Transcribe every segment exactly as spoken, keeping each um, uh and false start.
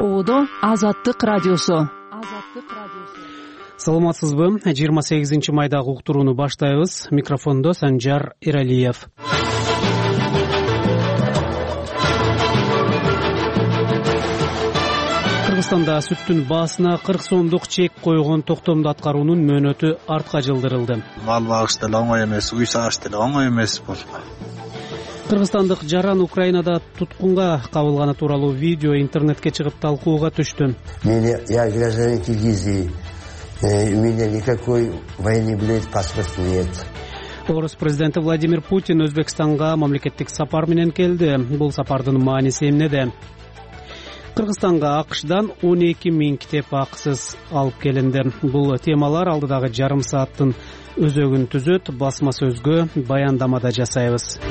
Ободо Азаттык радиосу. Саламатсызбы? жыйырма сегизинчи майдагы уктурууну баштайбыз. Микрофондо Санжар Эралиев. Кыргызстанда сүттүн баасына кырк сомдук чек койгон токтомду аткаруунун мөөнөтү артка жылдырылды. Мал багыш деле оңой эмес, үй сагыш деле оңой эмес бул. Кыргызстандык жаран Украинада туткунга кабылганы тууралуу видео интернетке чыгып талкууга түштү. Я гражданин Киргизии, у меня никакой военный билет, паспорт нет. Орус президенти Владимир Путин Өзбекстанга мамлекеттик сапар менен келди. Бул сапардын мааниси эмнеде? Кыргызстанга АКШдан он эки миң китеп акысыз алып келинди. Бул темалар алдыдагы жарым сааттын өзөгүн түзөт. Басма сөзгө баяндамада жасайбыз.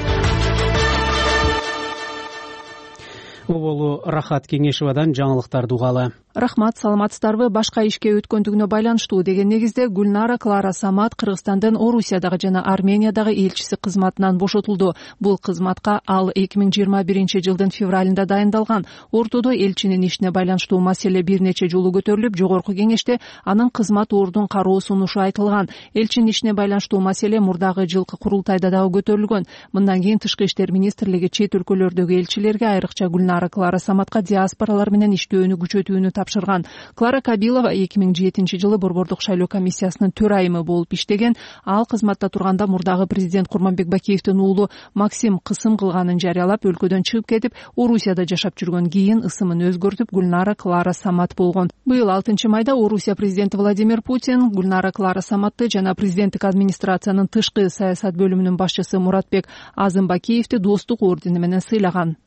Оболу Рахат Кеңешевадан жаңылыктарды угалы. Рахмат, саламатсыздарбы? Башка ишке өткөндүгүнө байланыштуу деген негизде Гүлнара Клара Самат Кыргызстандын Орусиядагы жана Армениядагы элчиси кызматынан бошотулду. Бул кызматка ал эки миң жыйырма биринчи жылдын февралында дайындалган. Ортодо элчинин ишине байланыштуу маселе бир нече жолу көтөрүлүп, жогорку кеңеште анын кызмат ордун кароо сунушу айтылган. Элчинин ишине байланыштуу маселе мурдагы жылкы курултайда дагы көтөрүлгөн. Мындан кийин Тышкы иштер министрлиги чет өлкөлөрдөгү элчилерге, айрыкча Гүлнара Клара Саматка диаспоралар менен иштөөнү күчөтүүнү тапшырган. Клара Кабилова эки миң жетинчи жылы Борбордук шайлоо комиссиясынын төрайымы болуп иштеген. Ал кызматта турганда мурдагы президент Курманбек Бакиевдин уулу Максим кысым кылганын жарыялап, өлкөдөн чыгып кетип, Орусияда жашап жүргөн. Кийин ысымын өзгөртүп Гүлнара Клара Самат болгон. Быйыл алтынчы майда Орусия президенти Владимир Путин Гүлнара Клара Саматты жана президенттик администрациянын тышкы саясат бөлүмүнүн башчысы Муратбек Азымбакиевди достук ордени менен сыйлаган.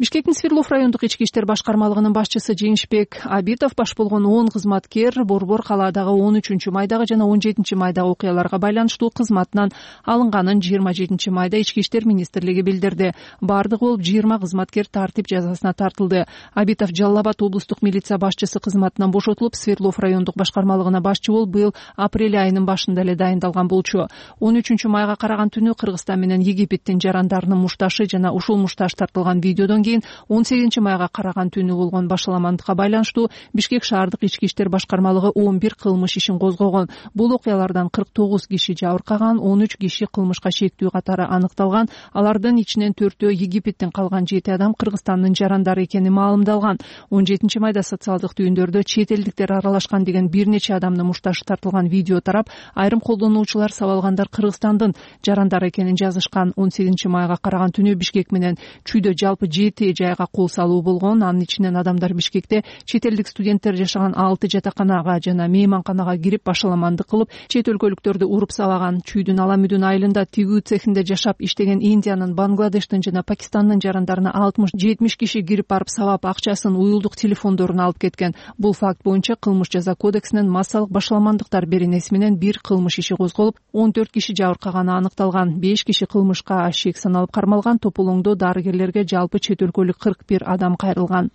Бишкектин Свердлов райондук ички иштер башкармалыгынын башчысы Жеңишбек Абитов баш болгон он кызматкер Борбор калаадагы он үчүнчү майдагы жана он жетинчи майдагы окуяларга байланыштуу кызматынан алынганын жыйырма жетинчи майда ички иштер министрлиги билдирди. Бардыгы болуп жыйырма кызматкер тартип жазасына тартылды. Абитов Жалал Абад облустук милиция башчысы кызматынан бошотулуп, Свердлов райондук башкармалыгына башчы болуп, быйыл апрель айынын башында эле дайындалган болчу. он үчүнчү майга караган түнү Кыргызстан менен Египеттин жарандарынын мушташы жана ушул мушташ тартылган видеодон он сегизинчи майга караган түнү болгон башаламандыкка байланыштуу Бишкек шаардык ички иштер башкармалыгы он бир кылмыш ишин козгогон. Бул окуялардан кырк тогуз киши жабыркаган, он үч киши кылмышка шектүү катары аныкталган. Алардын ичинен төртөө Египеттен калган жети адам Кыргызстандын жарандары экени маалымдалган. он жетинчи майда социалдык түйүндөрдө чет элдиктер аралашкан деген бир нече адамдын мушташы тартылган видео тарап, айрым колдонуучулар сабалгандар Кыргызстандын жарандары экенин жазышкан. он сегизинчи майга караган түнү Бишкек менен Чүйдө жалпы жети жайга кол салуу болгон. Анын ичинен адамдар Бишкекте чет элдик студенттер жашаган алты жатаканага жана мейманканага кирип башаламандык кылып, чет өлкөлүктөрдү уруп сабаган. Чүйдүн Аламүдүн айылында тигүү цехинде жашап иштеген Индиянын, Бангладештин жана Пакистандын жарандарына алтымыш жетимиш киши кирип барып сабап, акчасын, уюлдук телефондорун алып кеткен. Бул факт боюнча кылмыш жаза кодексинен массалык башаламандыктар беренеси менен бир кылмыш иши козголуп, он төрт киши жабыркаганы аныкталган. беш киши кылмышка шек саналып кармалган. Тополоңдо дарыгерлерге жалпы чет өлкөлүк кырк бир адам кайрылган.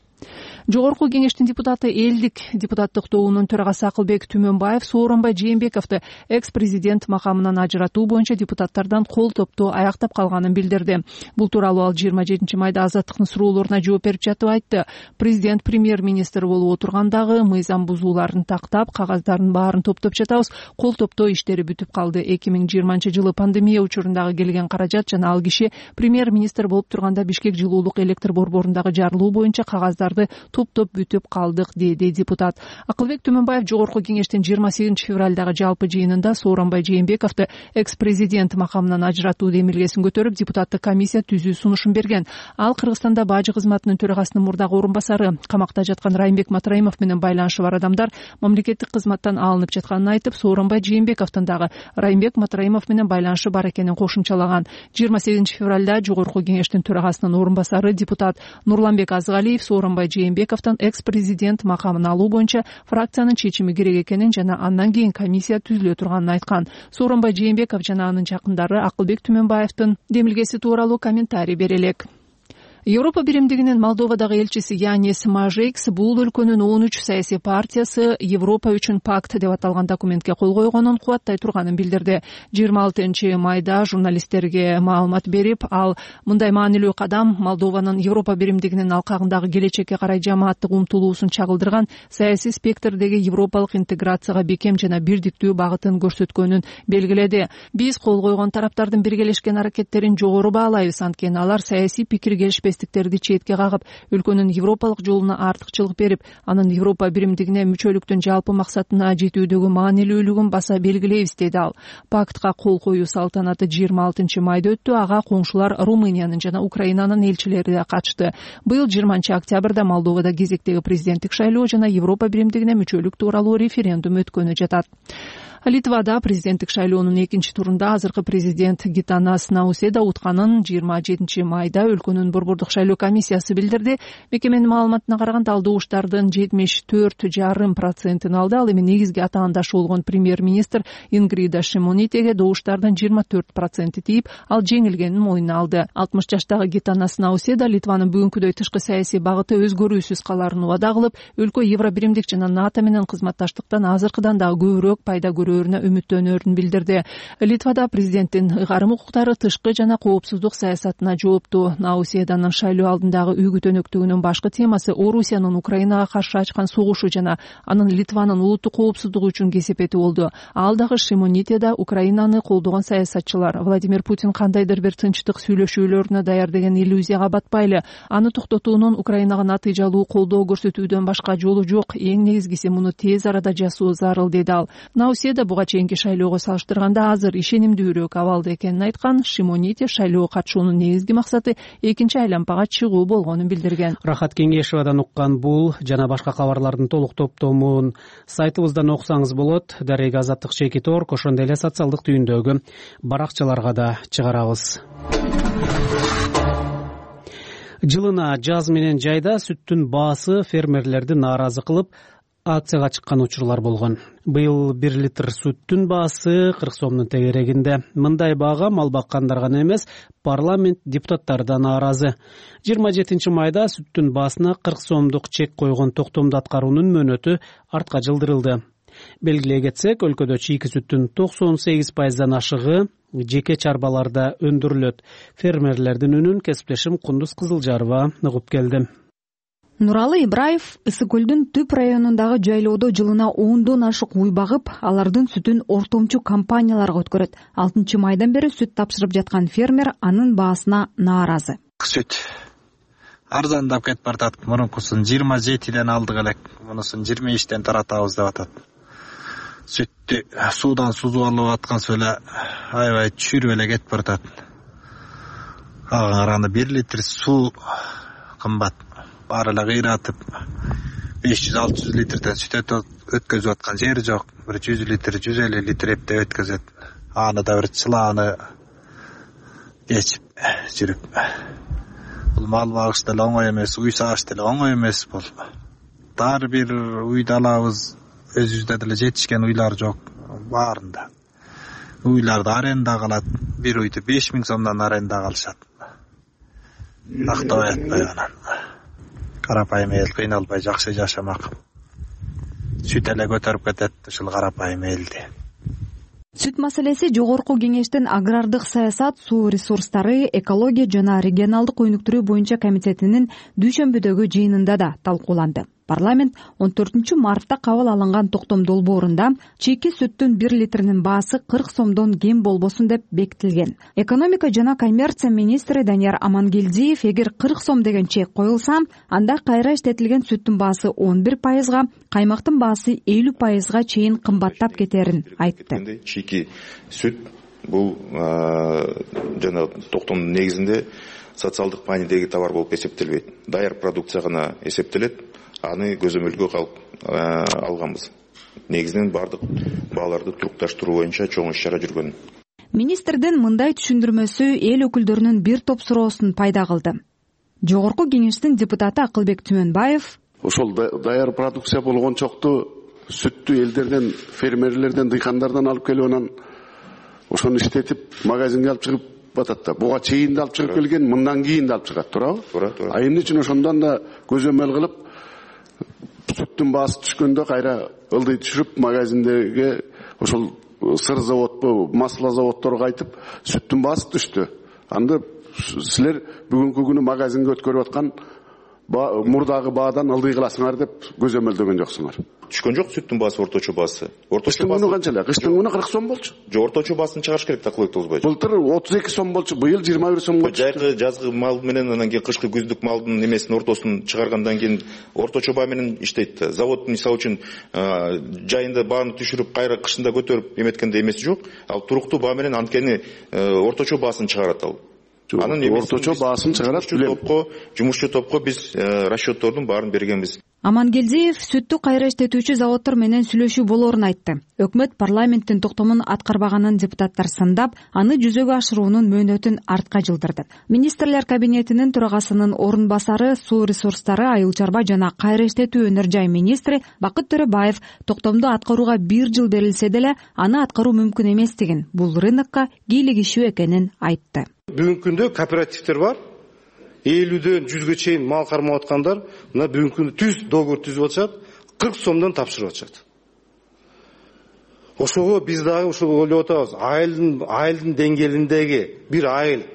Жогорку кеңештин депутаты, элдик депутаттык тобунун төрагасы Акылбек Түмөнбаев Сооронбай Жээнбековду экс-президент макамынан ажыратуу боюнча депутаттардан кол топтоо аяктап калганын билдирди. Бул тууралуу ал жыйырма жетинчи майда Азаттыктын суроолоруна жооп берип жатып айтты. Президент премьер-министр болуп отургандагы мыйзам бузууларын тактап, кагаздардын баарын топтоп жатабыз. Кол топтоо иштери бүтүп калды. эки миң жыйырманчы жылы пандемия учурундагы келген каражат жана ал киши премьер-министр болуп турганда Бишкек жылуулук электр борборундагы жарылуу боюнча кагаздар топтоп бүтүп калдык, деди депутат. Акылбек Түмөнбаев жогорку кеңештин жыйырма сегизинчи февралдагы жалпы жыйынында Сооронбай Жээнбековду экс-президент макамынан ажыратуу демилгесин көтөрүп, депутаттык комиссия түзүү сунушун берген. Ал Кыргызстанда бажы кызматынын төрагасынын мурдагы орун басары, камакта жаткан Райымбек Матраимов менен байланышы бар адамдар мамлекеттик кызматтан алынып жатканын айтып, Сооронбай Жээнбековдун дагы Райымбек Матраимов менен байланышы бар экенин кошумчалаган. жыйырма сегизинчи февралда жогорку кеңештин төрагасынын орун басары депутат Нурланбек Азгалиев Сооронбай Жээнбековдун экс-президент макамын алуу боюнча фракциянын чечими керек экенин жана андан кийин комиссия түзүлө турганын айткан. Сооронбай Жээнбеков жана анын жакындары Акылбек Түмөнбаевдин демилгеси тууралуу комментарий бере элек. Европа биримдигинин Молдовадагы элчиси Янис Мажекс бул өлкөнүн он үч саясий партиясы Европа үчүн пакт деп аталган документке кол койгонун кубаттай турганын билдирди. жыйырма алтынчы майда журналисттерге маалымат берип, ал мындай маанилүү кадам Молдованын Европа биримдигинин алкагындагы келечекке карай жамааттык умтулуусун чагылдырган саясий спектрдеги европалык интеграцияга бекем жана бирдиктүү багытын көрсөткөнүн белгиледи. Биз кол койгон тараптардын биргелешкен аракеттерин жогору баалайбыз, анткени алар саясий пикир келишпестиктерди четке кагып, өлкөнүн европалык жолуна артыкчылык берип, анын Европа биримдигине мүчөлүктүн жалпы максатына жетүүдөгү маанилүүлүгүн баса белгилейбиз, деди ал. Пактка кол коюу салтанаты жыйырма алтынчы майда өттү. Ага коңшулар Румыниянын жана Украинанын элчилери да катышты. Быйыл жыйырманчы октябрда Молдовада кезектеги президенттик шайлоо жана Европа биримдигине мүчөлүк тууралуу референдум өткөнү жатат. Литвада президенттик шайлоонун экинчи турунда азыркы президент Гитанас Науседа утканын жыйырма жетинчи майда өлкөнүн борбордук шайлоо комиссиясы билдирди. Мекеменин маалыматына караганда ал добуштардын жетимиш төрт жарым процентин алды. Ал эми негизги атаандашы болгон премьер-министр Ингрида Шимонитеге добуштардын жыйырма төрт проценти тийип, ал жеңилгенин мойнуна алды. алтымыш жаштагы Гитанас Науседа Литванын бүгүнкүдөй тышкы саясий багыты өзгөрүүсүз каларын убада кылып, өлкө Евробиримдик жана НАТО менен кызматташтыктан азыркыдан дагы көбүрөөк пайда көрүү үмүттөнөрүн билдирди. Литвада президенттин ыйгарым укуктары тышкы жана коопсуздук саясатына жооптуу. Науседанын шайлоо алдындагы үйгү төнөктүгүнүн башкы темасы Орусиянын Украинага каршы ачкан согушу жана анын Литванын улуттук коопсуздугу үчүн кесепети болду. Ал дагы Шимоните да Украинаны колдогон саясатчылар Владимир Путин кандайдыр бир тынчтык сүйлөшүүлөрүнө даяр деген иллюзияга батпайлы. Аны токтотуунун Украинага натыйжалуу колдоо көрсөтүүдөн башка жолу жок. Эң негизгиси муну тез арада жасоо зарыл, деди ал. Науседа буга чейинки шайлоого салыштырганда азыр ишенимдүүрөөк абалда экенин айткан. Шимоните шайлоого катышуунун негизги максаты экинчи айлампага чыгуу болгонун билдирген. Рахат Кеңешевадан уккан бул жана башка кабарлардын толук топтомун сайтыбыздан окусаңыз болот. Дарега Азаттык Чекит Орг, ошондой эле социалдык түйүндөгү баракчаларга да чыгарабыз. Жылына жаз менен жайда сүттүн баасы фермерлерди нааразы кылып, акцияга чыккан учурлар болгон. Быйыл бир литр сүттүн баасы кырк сомдун тегерегинде. Мындай баага мал баккандар гана эмес, парламент депутаттары да нааразы. жыйырма жетинчи майда сүттүн баасына кырк сомдук чек койгон токтомду аткаруунун мөөнөтү артка жылдырылды. Белгилей кетсек, өлкөдө чийки сүттүн токсон сегиз пайыздан ашыгы жеке чарбаларда өндүрүлөт. Фермерлердин үнүн кесиптешим Кундуз Кызылжарова угуп келди. Нуралы Ибраев Ысык көлдүн түп районундагы жайлоодо жылына ондон ашык уй багып, алардын сүтүн ортомчу компанияларга өткөрөт. алтынчы майдан бери сүт тапшырып жаткан фермер анын баасына нааразы. Сүт арзандап кетип баратат. Мурункусын жыйырма жетиден алдык элек, мунусун жыйырма бештен таратабыз деп атат. Сүттү суудан сузуп алып аткансы эле аябай түшүрүп эле кетип баратат. Ага караганда бир литр суу кымбат. Баары эле кыйратып беш жүз алты жүз литрден сүт өткөзүп аткан жери жок. Бир жүз литр, жүз элүү литр эптеп өткөзөт. Аны да бир чылааны кечип жүрүп. Бул мал багыш деле оңой эмес, уй сааш деле оңой эмес бул. Дар бир уйду алабыз, өзүбүздө деле жетишкен уйлар жок баарында. Уйларды аренда калат, бир уйду беш миң сомдон аренда калышат. Актабай атпай анан. Карапайым эл кыйналбай жакшы жашамак. Сүт эле көтөрүп кетет ушул карапайым элди. Сүт маселеси жогорку кеңештин агрардык саясат, суу ресурстары, экология жана регионалдык өнүктүрүү боюнча комитетинин дүйшөмбүдөгү жыйынында да талкууланды. Парламент он төртүнчү мартта кабыл алынган токтом долбоорунда чийки сүттүн бир литринин баасы кырк сомдон кем болбосун деп бекитилген. Экономика жана коммерция министри Данияр Амангелдиев эгер кырк сом деген чек коюлса, анда кайра иштетилген сүттүн баасы он бир пайызга, каймактын баасы элүү пайызга чейин кымбаттап кетерин айтты. Чийки сүт бул жана токтомдун негизинде социалдык маанидеги товар болуп эсептелбейт. Даяр продукция гана эсептелет. Аны көзөмөлгө алганбыз. Негизинен бардык бааларды турукташтыруу боюнча чоң иш-чара жүргөн. Министрдин мындай түшүндүрмөсү эл өкүлдөрүнүн бир топ суроосун пайда кылды. Жогорку кеңештин депутаты Акылбек Түмөнбаев ошол даяр продукция болгончокту сүттү элдерден, фермерлерден, дыйкандардан алып келип анан ошону иштетип магазинге алып чыгып чыгып атат да. Буга чейин да алып чыгып келген, мындан кийин да алып чыгат, туурабы? Туура, туура. А эмне үчүн ошондон да көзөмөл кылып сүттүн баасы түшкөндө кайра ылдый түшүрүп магазиндеги ошол сыр заводпу, масло заводдорго айтып, сүттүн баасы түштү. Анда силер бүгүнкү күнү магазинге өткөрүп аткан мурдагы баадан ылдый кыласыңар деп көзөмөлдөгөн жоксуңар. Түшкөн жок сүттүн баасы, орточо баасы. Кыштын күнү канча эле? Кыштын күнү кырк сом болчу. Жок, орточо баасын чыгарыш керек да, кылык болбойт. Былтыр отуз эки сом болчу, быйыл жыйырма бир сомго чыкты. Жайкы жазгы мал менен анан кийин кышкы күздүк малдын эмесин ортосун чыгаргандан кийин орточо баа менен иштейт да. Завод мисалы үчүн жайында бааны түшүрүп, кайра кышында көтөрүп эметкенде эмеси жок. Ал туруктуу баа менен анткени орточо баасын чыгарат ал. Анын орточо баасын чыгарат билем. Жумушчу топко биз расчеттордун баарын бергенбиз. Амангелдиев сүттү кайра иштетүүчү заводдор менен сүйлөшүү болоорун айтты. Өкмөт парламенттин токтомун аткарбаганын депутаттар сындап, аны жүзөгө ашыруунун мөөнөтүн артка жылдырды. Министрлер кабинетинин төрагасынын орун басары, суу ресурстары, айыл чарба жана кайра иштетүү өнөр жай министри Бакыт Төрөбаев токтомду аткарууга бир жыл берилсе деле, аны аткаруу мүмкүн эместигин, бул рынокко кийлигишүү экенин айтты. Бүгүнкү күндө кооперативдер бар. элүүдөн жүзгө чейин мал кармап аткандар мына бүгүнкү күндө түз договор түзүп атышат, кырк сомдон тапшырып атышат. Ошого биз дагы ошо ойлоп атабыз. Айылдын айылдын деңгээлиндеги бир айыл,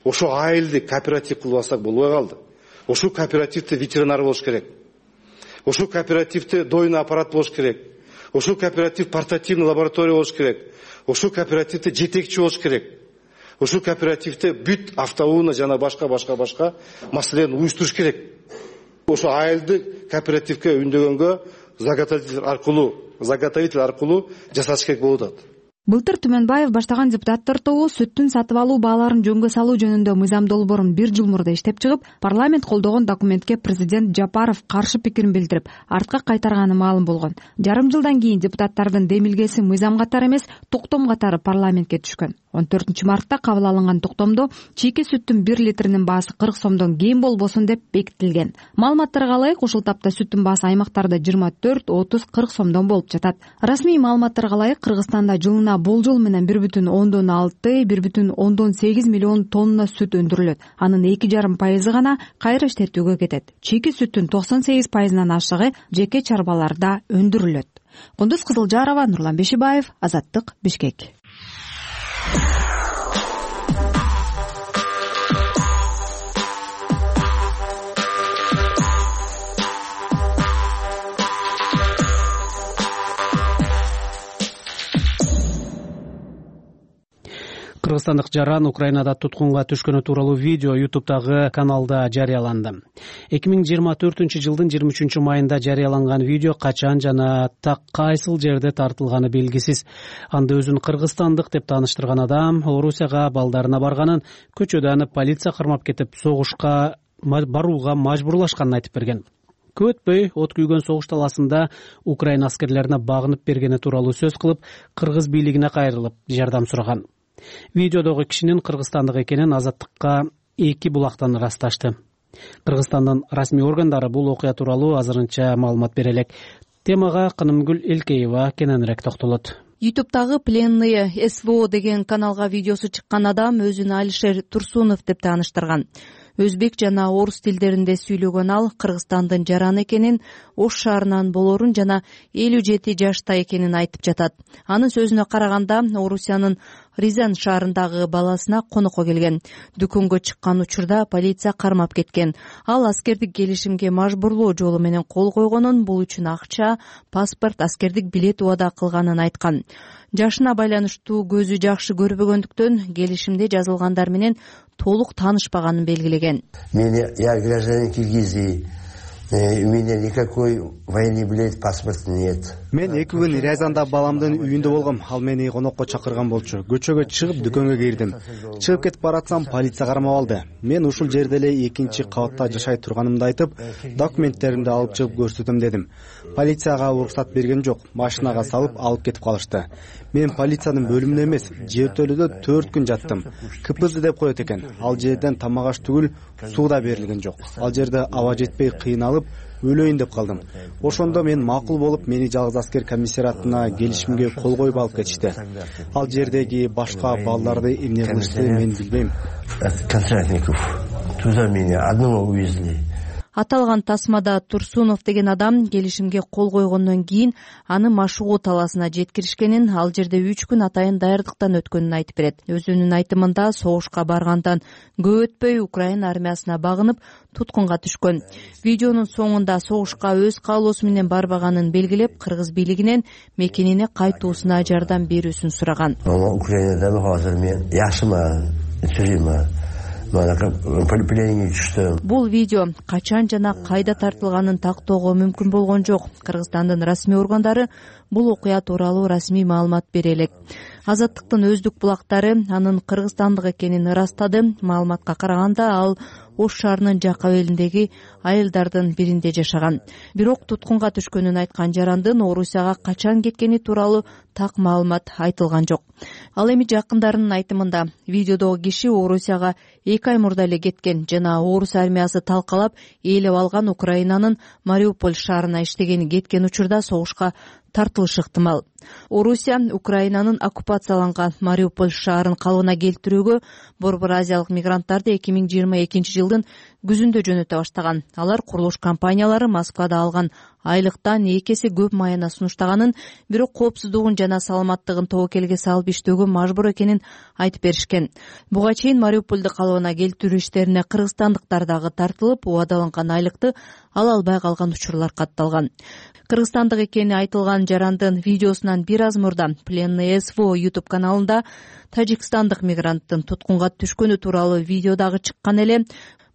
ошо айылды кооператив кылып алсак болбой калды. Ошо кооперативде ветеринар болуш керек. Ошо кооперативде дойный аппарат болуш керек. Ошо кооператив портативный лаборатория болуш керек. Ошо кооперативде жетекчи болуш керек. Ошол кооперативде бүт автоунаа жана башка башка башка маселени уюштуруш керек. Ошо айылды кооперативге үндөгөнгө заготовитель аркылуу, заготовитель аркылуу жасаш керек болуп атат. Былтыр Түмөнбаев баштаган депутаттар тобу сүттүн сатып алуу бааларын жөнгө салуу жөнүндө мыйзам долбоорун бир жыл мурда иштеп чыгып, парламент колдогон документке президент Жапаров каршы пикирин билдирип, артка кайтарганы маалым болгон. Жарым жылдан кийин депутаттардын демилгеси мыйзам катары эмес, токтом катары парламентке түшкөн. он төртүнчү мартта кабыл алынган токтомдо чийки сүттүн бир литринин баасы кырк сомдон кем болбосун деп бекитилген. Маалыматтарга ылайык, ушул тапта сүттүн баасы аймактарда жыйырма төрт, отуз, кырк сомдон болуп жатат. Расмий маалыматтарга ылайык, Кыргызстанда жылына болжол менен бир бүтүн ондон алты, бир бүтүн ондон сегиз миллион тонна сүт өндүрүлөт. Анын эки жарым пайызы гана кайра иштетүүгө кетет. Чийки сүттүн токсон сегиз пайызынан ашыгы жеке чарбаларда өндүрүлөт. Кундуз Кызылжарова, Нурлан Бешибаев, Азаттык, Бишкек. Кыргызстандык жаран Украинада туткунга түшкөнү тууралуу видео ютубтагы каналда жарыяланды. эки миң жыйырма төртүнчү жылдын жыйырма үчүнчү майында жарыяланган видео качан жана так кайсыл жерде тартылганы белгисиз. Анда өзүн кыргызстандык деп тааныштырган адам Орусияга балдарына барганын, көчөдө аны полиция кармап кетип, согушка барууга мажбурлашканын айтып берген. Көп өтпөй от күйгөн согуш таласында Украина аскерлерине багынып бергени тууралуу сөз кылып, кыргыз бийлигине кайрылып, жардам сураган. Видеодогу кишинин кыргызстандык экенин Азаттыкка эки булактан ырасташты. Кыргызстандын расмий органдары бул окуя тууралуу азырынча маалымат бере элек. Темага Кынымгүл Элкеева кененирээк токтолот. Ютубтагы пленные СВО деген каналга видеосу чыккан адам өзүн Алишер Турсунов деп тааныштырган. Өзбек жана орус тилдеринде сүйлөгөн ал Кыргызстандын жараны экенин, Ош шаарынан болорун жана элүү жети жашта экенин айтып жатат. Анын сөзүнө караганда, Орусиянын Рязань шаарындагы баласына конокко келген. Дүкөнгө чыккан учурда полиция кармап кеткен. Ал аскердик келишимге мажбурлоо жолу менен кол койгонун, бул үчүн акча, паспорт, аскердик билет убада кылганын айткан. Жашына байланыштуу көзү жакшы көрбөгөндүктөн келишимде жазылгандар менен толук таанышпаганын белгилеген. Я гражданин Киргизии. У меня никакой военный билет, паспорта нет. Мен эки күн Рязанда баламдын үйүндө болгом. Ал мени конокко чакырган болчу. Көчөгө чыгып дүкөнгө кирдим. Чыгып кетип баратсам полиция кармап алды. Мен ушул жерде эле экинчи кабатта жашай турганымды айтып, документтеримди алып чыгып көрсөтөм дедим. Полицияга уруксат берген жок. Машинага салып алып кетип калышты. Мен полициянын бөлүмүндө эмес, жертөлөдө төрт күн жаттым. КПЗ деп коет экен. Ал жерден тамак аш түгүл суу да берилген жок. Ал жерде аба жетпей кыйналып кылып өлөйүн деп калдым. Ошондо мен макул болуп, мени жалгыз аскер комиссариатына келишимге кол коюп алып кетишти. Ал жердеги башка балдарды эмне кылышты мен билбейм. Туда меня одного увезли. Аталган тасмада Турсунов деген адам келишимге кол койгондон кийин аны Машугу талаасына жеткиришкенин, ал жерде үч күн атайын даярдыктан өткөнүн айтып берет. Өзүнүн айтымында согушка баргандан көп өтпөй Украина армиясына багынып туткунга түшкөн. Видеонун соңунда согушка өз каалоосу менен барбаганын белгилеп, кыргыз бийлигинен мекенине кайтуусуна жардам берүүсүн сураган. Украинада азыр мен жакшымын, түймө. Бул видео качан жана кайда тартылганын тактоого мүмкүн болгон жок. Кыргызстандын расмий органдары бул окуя тууралуу расмий маалымат бере элек. Азаттыктын өздүк булактары анын кыргызстандык экенин ырастады. Маалыматка караганда ал Ош шаарынын жак абелиндеги айылдардын биринде жашаган. Бирок туткунга түшкөнүн айткан жарандын Орусияга качан кеткени тууралуу так маалымат айтылган жок. Ал эми жакындарынын айтымында видеодогу киши Орусияга эки ай мурда эле кеткен жана Орус армиясы талкалап ээлеп алган Украинанын Мариуполь шаарына иштегени кеткен учурда согушка тартылышы ыктымал. Орусия Украинанын оккупацияланган Мариуполь шаарын калыбына келтирүүгө Борбор Азиялык мигранттарды эки миң жыйырма экинчи жылдын күзүндө жөнөтө баштаган. Алар курулуш компаниялары Москвада алган айлыктан эки эсе көп майына сунуштаганын, бирок коопсуздугун жана саламаттыгын тобокелге салып иштөөгө мажбур экенин айтып беришкен. Буга чейин Мариупольду калыбына келтирүү иштерине кыргызстандыктар дагы тартылып, убадаланган айлыкты ала албай калган учурлар катталган. Кыргызстандык экени айтылган жарандын видеосунан бир аз мурда Пленный СВО YouTube каналында тажикстандык мигранттын туткунга түшкөнү тууралуу видео дагы чыккан эле.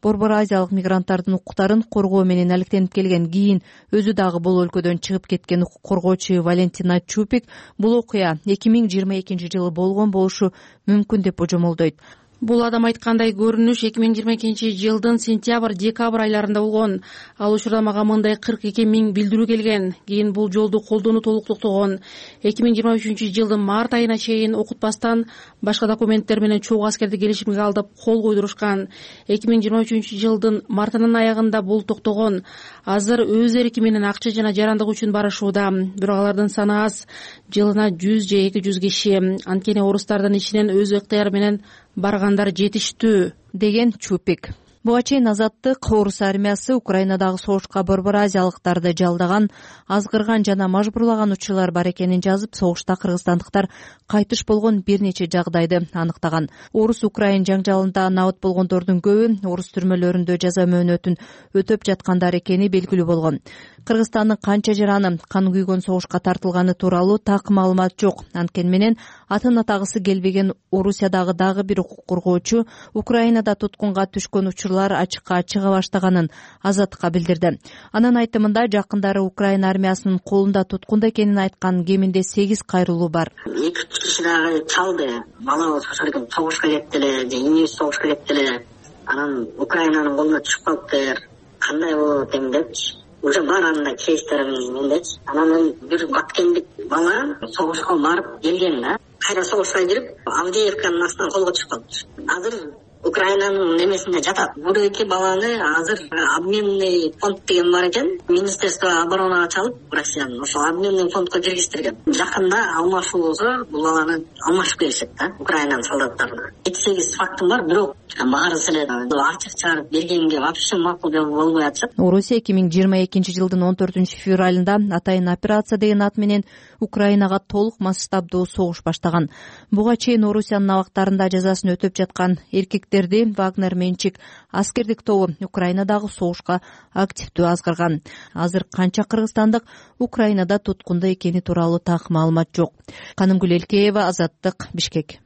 Борбор Азиялык мигранттардын укуктарын коргоо менен алектенип келген кийин өзү дагы бул өлкөдөн чыгып кеткен укук коргоочу Валентина Чупик бул окуя эки миң жыйырма экинчи жылы болгон болушу мүмкүн деп божомолдойт. Бул адам айткандай көрүнүш эки миң жыйырма экинчи жылдын сентябрь-декабрь айларында болгон. Ал учурда мага мындай кырк эки миң билдирүү келген. Кийин бул жолду колдонуу толук токтогон. эки миң жыйырма үчүнчү жылдын март айына чейин окутпастан башка документтер менен чогуу аскерди келишимге алдып кол койдурушкан. эки миң жыйырма үчүнчү жылдын мартынын аягында бул токтогон. Азыр өз эрки менен акча жана жарандык үчүн барышууда. Бирок алардын саны аз. Жылына жүз же эки жүз киши. Анткени орустардын ичинен өз ыктыяры менен баргандар жетиштүү, деген Чупик. Буга чейин Азаттык Орус армиясы Украинадагы согушка борбор азиялыктарды жалдаган, азгырган жана мажбурлаган учурлар бар экенин жазып, согушта кыргызстандыктар кайтыш болгон бир нече жагдайды аныктаган. Орус-Украин жаңжалында набыт болгондордун көбү орус түрмөлөрүндө жаза мөөнөтүн өтөп жаткандар экени белгилүү болгон. Кыргызстандын канча жараны кан күйгөн согушка тартылганы тууралуу так маалымат жок. Анткени менен атын атагысы келбеген Орусиядагы дагы бир укук коргоочу Украинада туткунга түшкөн учурлар ачыкка чыга баштаганын Азаттыкка билдирди. Анын айтымында жакындары Украина армиясынын колунда туткунда экенин айткан кеминде сегиз кайрылуу бар. эки киши дагы чалды. Балабыз ошол согушка кетти эле, же инибиз согушка кетти эле. Анан Украинанын колуна түшүп калыптыр. Кандай болот эми депчи. Уже бар анда кейстерimiz мендечи. Анан бир баткендик бала согушка барып келген да. Кайра согушка кирип, Авдеевканын астынан колго түшүп калыптыр. Азыр Украинанын немесинде жатат. Бул эки баланы азыр обменный фонд деген бар экен. Министерство оборонага чалып, Россиянын ошо обменный фондко киргиздирген. Жакында алмашуу болсо, бул баланы алмашып келишет да, Украинанын солдаттарына. жети сегиз фактым бар, бирок баарысы эле ачык чыгарып бергенге вообще макул болбой атышат. Орусия эки миң жыйырма экинчи жылдын он төртүнчү февралында атайын операция деген ат менен Украинага толук масштабдуу согуш баштаган. Буга чейин Орусиянын абактарында жазасын өтөп жаткан эркектерди Вагнер менчик аскердик тобу Украинадагы согушка активдүү азгырган. Азыр канча кыргызстандык Украинада туткунда экени тууралуу так маалымат жок. Канымгүл Элкеева, Азаттык, Бишкек.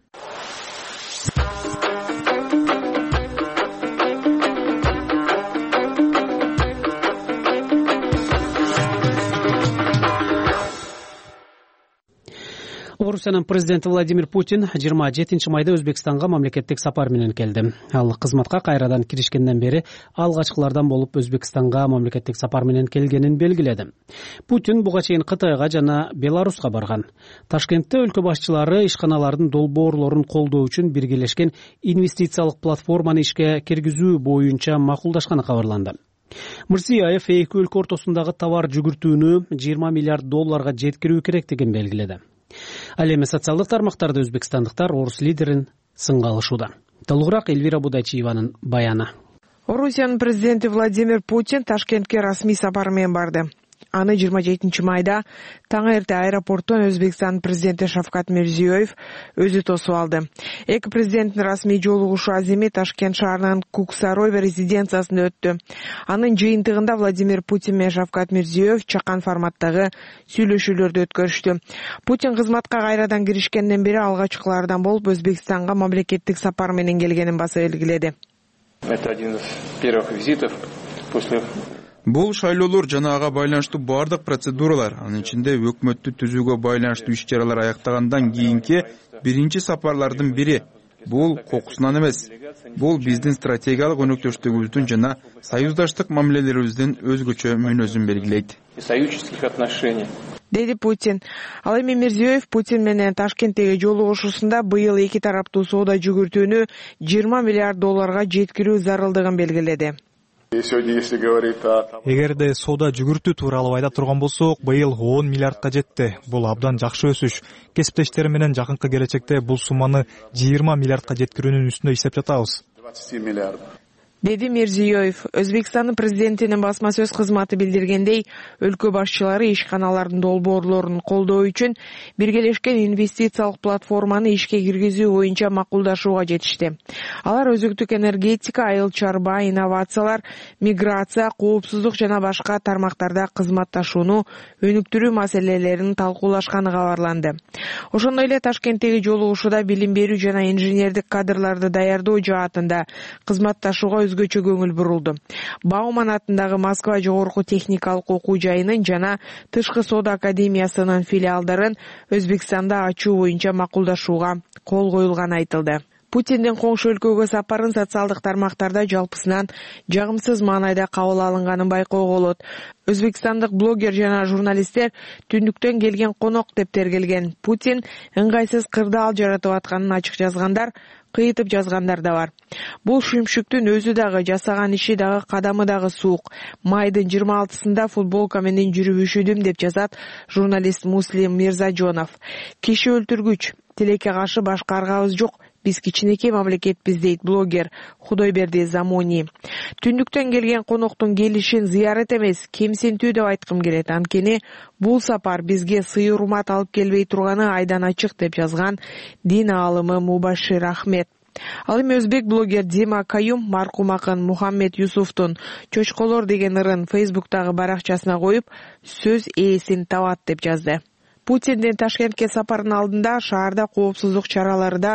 Орусиянын президенти Владимир Путин жыйырма жетинчи майда Өзбекстанга мамлекеттик сапар менен келди. Ал кызматка кайрадан киришкенден бери алгачкылардан болуп Өзбекстанга мамлекеттик сапар менен келгенин белгиледи. Путин буга чейин Кытайга жана Беларуска барган. Ташкентте өлкө башчылары ишканалардын долбоорлорун колдоо үчүн биргелешкен инвестициялык платформаны ишке киргизүү боюнча макулдашканы кабарланды. Мирзиёев эки өлкө ортосундагы товар жүгүртүүнү жыйырма миллиард долларга жеткирүү керектигин белгиледи. Ал эми социалдык тармактарда өзбекстандыктар орус лидерин сынга алышууда. Толугураак Эльвира Будайчиеванын баяны. Орусиянын президенти Владимир Путин Ташкентке расмий сапар менен барды. Аны жыйырма жетинчи майда таң эрте аэропорттон Өзбекстан президенти Шавкат Мирзиёев өзү тосуп алды. Эки президенттин расмий жолугушу аземи Ташкент шаарынын Куксарой резиденциясында өттү. Анын жыйынтыгында Владимир Путин менен Шавкат Мирзиёев чакан форматтагы сүйлөшүүлөрдү өткөрүштү. Путин кызматка кайрадан киришкенден бери алгачкылардан болуп Өзбекстанга мамлекеттик сапар менен келгенин баса белгиледи. Это один из первых визитов после Бул шайлоолор жана ага байланыштуу бардык процедуралар, анын ичинде өкмөттү түзүүгө байланыштуу иш-чаралар аяктагандан кийинки биринчи сапарлардын бири. Бул кокусунан эмес. Бул биздин стратегиялык өнөктөштүгүбүздүн жана союздаштык мамилелерибиздин өзгөчө мүнөзүн белгилейт. Союзнических отношений. Деди Путин. Ал эми Мирзиёев Путин менен Ташкенттеги жолугушуусунда быйыл эки тараптуу соода жүгүртүүнү жыйырма миллиард долларга жеткирүү зарылдыгын белгиледи. Эгерде соода жүгүртүү тууралуу айта турган болсок, быйыл он миллиардка жетти. Бул абдан жакшы өсүш. Кесиптештер менен жакынкы келечекте бул сумманы жыйырма миллиардка жеткирүүнүн үстүндө иштеп жатабыз. Деди Мирзиёев. Өзбекстандын президентинин басма сөз кызматы билдиргендей, өлкө башчылары ишканалардын долбоорлорун колдоо үчүн биргелешкен инвестициялык платформаны ишке киргизүү боюнча макулдашууга жетишти. Алар өзүктүк энергетика, айыл чарба, инновациялар, миграция, коопсуздук жана башка тармактарда кызматташууну өнүктүрүү маселелерин талкуулашканы кабарланды. Ошондой эле Ташкенттеги жолугушууда билим берүү жана инженердик кадрларды даярдоо жаатында кызматташууга өзгөчө көңүл бурулду. Бауман атындагы Москва жогорку техникалык окуу жайынын жана Тышкы соода академиясынын филиалдарын Өзбекстанда ачуу боюнча макулдашууга кол коюлганы айтылды. Путиндин коңшу өлкөгө сапарын социалдык тармактарда жалпысынан жагымсыз маанайда кабыл алынганын байкоого болот. Өзбекстандык блогер жана журналисттер түндүктөн келген конок деп тергелген. Путин ыңгайсыз кырдаал жаратып атканын ачык жазгандар, кыйтып жазгандар да бар. Бул шүмшүктүн өзү дагы, жасаган иши дагы, кадамы дагы суук. Майдын жыйырма алтысында футболка менен жүрүп үшүдүм деп жазат журналист Муслим Мирзажонов. Киши өлтүргүч, тилекке каршы башка аргабыз жок. Биз кичинекей мамлекетпиз, дейт блогер Худойберди Замони. Түндүктөн келген коноктун келишин зыярат эмес, кемсинтүү деп айткым келет. Анткени бул сапар бизге сый урмат алып келбей турганы айдан ачык, деп жазган дин аалымы Мубашир Ахмед. Ал эми өзбек блогер Дима Каюм маркум акын Мухаммед Юсуфтун «Чочколор» деген ырын Фейсбуктагы баракчасына коюп, сөз ээсин табат деп жазды. Путиндин Ташкентке сапарынын алдында шаарда коопсуздук чаралары да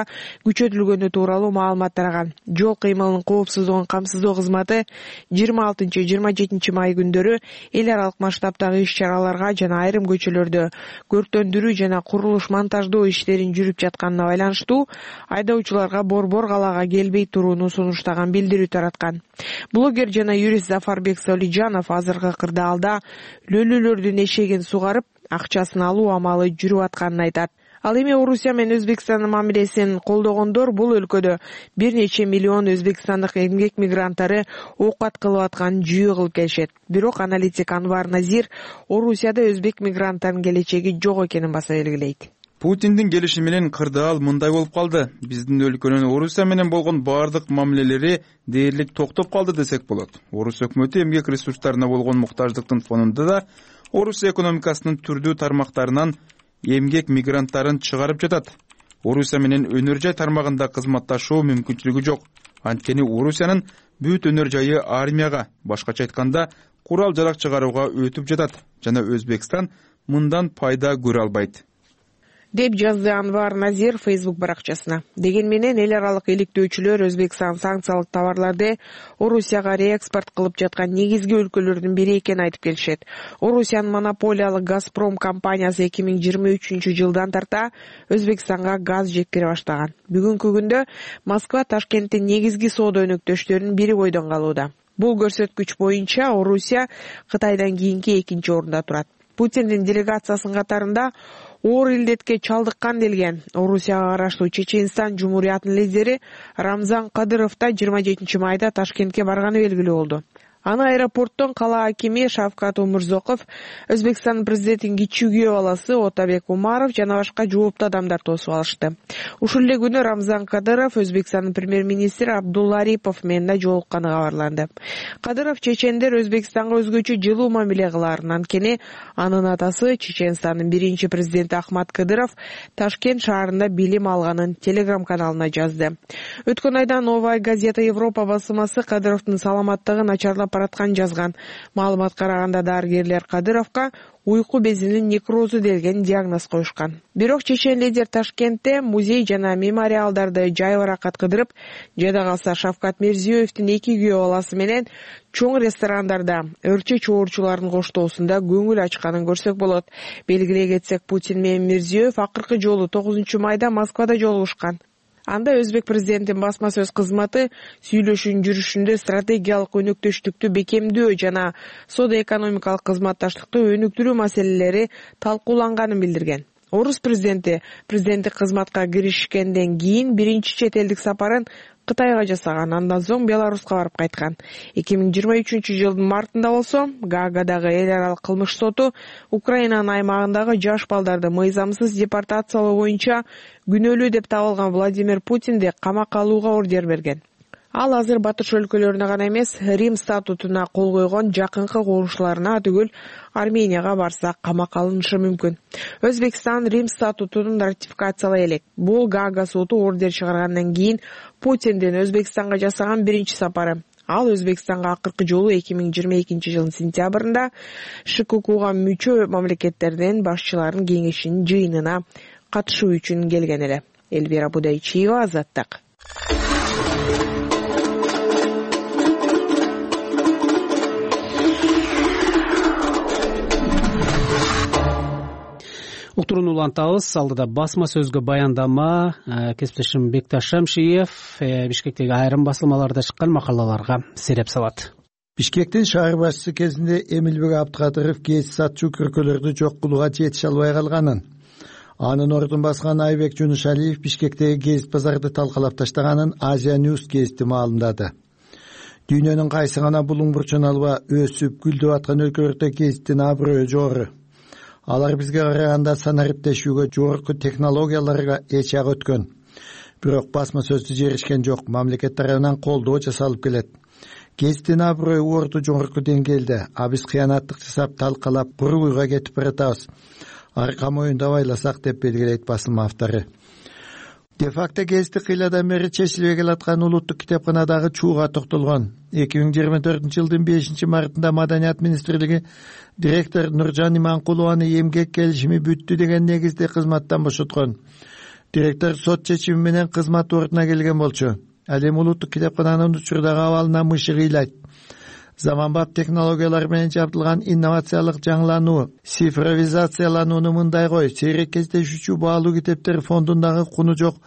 күчөтүлгөнү тууралуу маалымат тараган. Жол кыймылынын коопсуздугун камсыздоо кызматы жыйырма алтынчы жыйырма жетинчи май күндөрү эл аралык масштабтагы иш-чараларга жана айрым көчөлөрдө көрктөндүрүү жана курулуш монтаждоо иштерин жүрүп жатканына байланыштуу айдоочуларга борбор калаага келбей турууну сунуштаган билдирүү тараткан. Блогер жана юрист Зафарбек Солижанов азыркы кырдаалда лөлөлөрдүн эшегин сугарып, акчасын алуу амалы жүрүп атканын айтат. Ал эми Орусия менен Өзбекстандын мамилесин колдогондор бул өлкөдө бир нече миллион өзбекстандык эмгек мигранттары оокат кылып атканын жүйө кылып келишет. Бирок аналитик Анвар Назир Орусияда өзбек мигранттарынын келечеги жок экенин баса белгилейт. Путиндин келиши менен кырдаал мындай болуп калды. Биздин өлкөнүн Орусия менен болгон бардык мамилелери дээрлик токтоп калды десек болот. Орус өкмөтү эмгек ресурстарына болгон муктаждыктын фонунда да Орусия экономикасынын түрдүү тармактарынан эмгек мигранттарын чыгарып жатат. Орусия менен өнөр жай тармагында кызматташуу мүмкүнчүлүгү жок. Анткени Орусиянын бүт өнөр жайы армияга, башкача айтканда, курал жарак чыгарууга өтүп жатат жана Өзбекстан мындан пайда көрө албайт, деп жазды Анвар Назир Facebook баракчасына. Деген менен эл аралык иликтөөчүлөр Өзбекстан санкциялык товарларды Орусияга реэкспорт кылып жаткан негизги өлкөлөрдүн бири экенин айтып келишет. Орусиянын монополиялык Газпром компаниясы эки миң жыйырма үчүнчү жылдан тарта Өзбекстанга газ жеткире баштаган. Бүгүнкү күндө Москва Ташкенттин негизги соода өнөктөштөрүнүн бири бойдон калууда. Бул көрсөткүч боюнча Орусия Кытайдан кийинки экинчи орунда турат. Путиндин делегациясынын катарында оор илдетке чалдыккан делген Орусияга караштуу Чеченстан Жумурiyatынын лидери Рамзан Кадыров да жыйырма жетинчи майда Ташкентке барганы белгилүү болду. Аны аэропорттон кала акими Шавкат Умурзоков, Өзбекстан президентинин кичүү күйөө баласы Отабек Умаров жана башка жооптуу адамдар тосуп алышты. Ушул эле күнү Рамзан Кадыров Өзбекстандын премьер-министри Абдулла Арипов менен да жолукканы кабарланды. Кадыров чечендер Өзбекстанга өзгөчө жылуу мамиле кыларын, анткени анын атасы Чеченстандын биринчи президенти Ахмат Кадыров Ташкент шаарында билим алганын телеграм-каналына жазды. Өткөн айда Новая газета Европа басмасы Кадыровдун саламаттыгы начарлап баратканын жазган. Маалыматка караганда дарыгерлер Кадыровго уйку безинин некрозу делген диагноз коюшкан. Бирок чечен лидер Ташкентте музей жана мемориалдарды жайбаракат кыдырып, жада калса Шавкат Мирзиёевдин эки күйөө баласы менен чоң ресторандарда өрчө чоорчулардын коштоосунда көңүл ачканын көрсөк болот. Белгилей кетсек, Путин менен Мирзиёев акыркы жолу тогузунчу майда Москвада жолугушкан. Анда Өзбек президентинин басма сөз кызматы сүйлөшүүнүн жүрүшүндө стратегиялык өнөктөштүктү бекемдөө жана соода-экономикалык кызматташтыкты өнүктүрүү маселелери талкууланганын билдирген. Орус президенти президенттик кызматка киришкенден кийин биринчи чет элдик сапарын Кытайга жасаган, андан соң Беларуска барып кайткан. эки миң жыйырма үчүнчү жылдын мартында болсо Гаагадагы эл аралык кылмыш соту Украинанын аймагындагы жаш балдарды мыйзамсыз депортациялоо боюнча күнөөлүү деп табылган Владимир Путинди камакка алууга ордер берген. Ал азыр батыш өлкөлөрүнө гана эмес, Рим статутуна кол койгон жакынкы коошуларына түгүл Арменияга барса камакка алынышы мүмкүн. Өзбекстан Рим статутун ратификациялай элек. Бул Гаага соту ордер чыгаргандан кийин Путиндин Өзбекстанга жасаган биринчи сапары. Ал Өзбекстанга акыркы жолу эки миң жыйырма экинчи жылдын сентябрында ШККга мүчө мамлекеттердин башчыларынын кеңешинин жыйынына катышуу үчүн келген эле. Элвира Будайчиева, Азаттык. Уктурууну улантабыз. Алдыда басма сөзгө баяндама кесиптешим Бекташ Шамшиев Бишкектеги айрым басылмаларда чыккан макалаларга сереп салат. Бишкектин шаар башчысы кезинде Эмилбек Абдыкадыров гез сатчу көркөлөрдү жок кылууга жетише албай калганын, анын ордун баскан Айбек Жунушалиев Бишкектеги гез базарды талкалап таштаганын Азия News гезити маалымдады. Дүйнөнүн кайсы гана булуң бурчун алба өсүп гүлдөп аткан өлкөлөрдө гезиттин аброю жогору. Алар бизге караганда санариптешүүгө, жогорку технологияларга эч ак өткөн. Бирок басма сөздү жеришкен жок, мамлекет тарабынан колдоо жасалып келет. Гезиттин аброю орду жогорку деңгээлде, а биз кыянаттык жасап талкалап курулууга кетип баратабыз. Арка моюнда байласак деп белгилейт басылма автору. Де-факто гезити кыйладан бери чечилбей келаткан улуттук китепканадагы чууга токтолгон. эки миң жыйырма төртүнчү жылдын бешинчи мартында Маданият министрлиги директор Нуржан Иманкулованы эмгек келишими бүттү деген негизде кызматтан бошоткон. Директор сот чечими менен кызмат ордуна келген болчу. Ал эми улуттук китепкананын учурдагы абалына мышы кыйлайт. Заманбап технологиялар менен жабдылган инновациялык жаңылануу, цифровизацияланууну мындай кой, сейрек кездешүүчү баалуу китептер фондундагы куну жок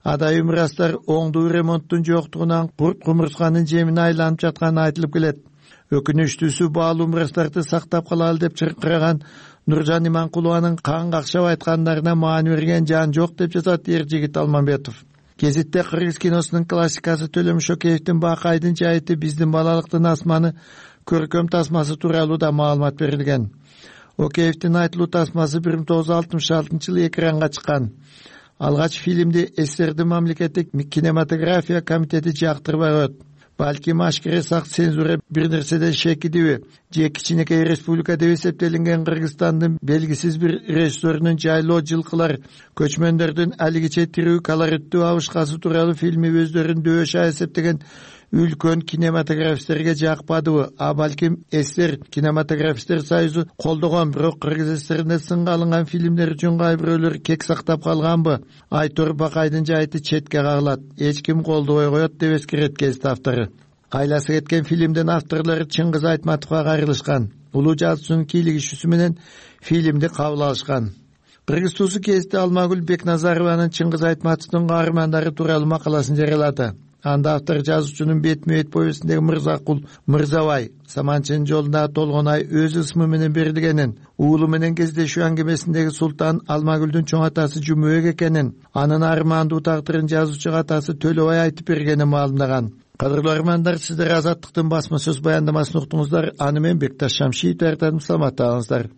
адай мурастар оңдуу ремонттун жоктугунан курт кумурсканын жемине айланып жатканы айтылып келет. Өкүнүчтүүсү баалуу мурастарды сактап калалы деп чыркыраган Нуржан Иманкулованын кан какшап айткандарына маани берген жан жок деп жазат Эржигит Алмамбетов. Гезитте кыргыз киносунун классикасы Төлөм Шокеевдин Бакайдын жайыты биздин балалыктын асманы көркөм тасмасы тууралуу да маалымат берилген. Океевдин айтылуу тасмасы бир миң тогуз жүз алтымыш алтынчы жылы экранга чыккан. Алгач фильмди СССРдин мамлекеттик кинематография комитети жактырбай коет. Балким ашкере сак цензура бир нерседен шекидиби же кичинекей республика деп эсептелинген Кыргызстандын белгисиз бир режиссерунун жайлоо жылкылар, көчмөндөрдүн алигиче тирүү колориттүү абышкасы тууралуу фильми өздөрүн дөшө эсептеген үлкөн кинематографисттерге жакпадыбы, а балким СССР кинематографисттер союзу колдогон, бирок Кыргыз СССРинде сынга алынган фильмдер үчүн кай бирөөлөр кек сактап калганбы? Айтор Бакайдын жайыты четке кагылат, эч ким колдобой коет деп эскерет гезит автору. Кайласы кеткен фильмдин авторлору Чыңгыз Айтматовго кайрылышкан. Улуу жазуучунун кийлигишүүсү менен фильмди кабыл алышкан. Кыргыз туусу гезити Алмагүл Бекназарованын Чыңгыз Айтматовдун каармандары тууралуу макаласын жарыялады. Анда автор жазуучунун бетме-бет повестиндеги Мырзакул Мырзабай Саманчынын жолундагы толгон ай өз ысмы менен берилгенин, уулу менен кездешүү аңгемесиндеги Султан Алмагүлдүн чоң атасы Жумөк экенин, анын армандуу тагдырын жазуучу атасы Төлөбай айтып бергенин маалымдаган. Кадырлуу армандар, сиздер Азаттыктын басма сөз баяндамасын уктуңуздар. Аны мен Бекташ Шамшиев даярдадым. Саламатта калыңыздар.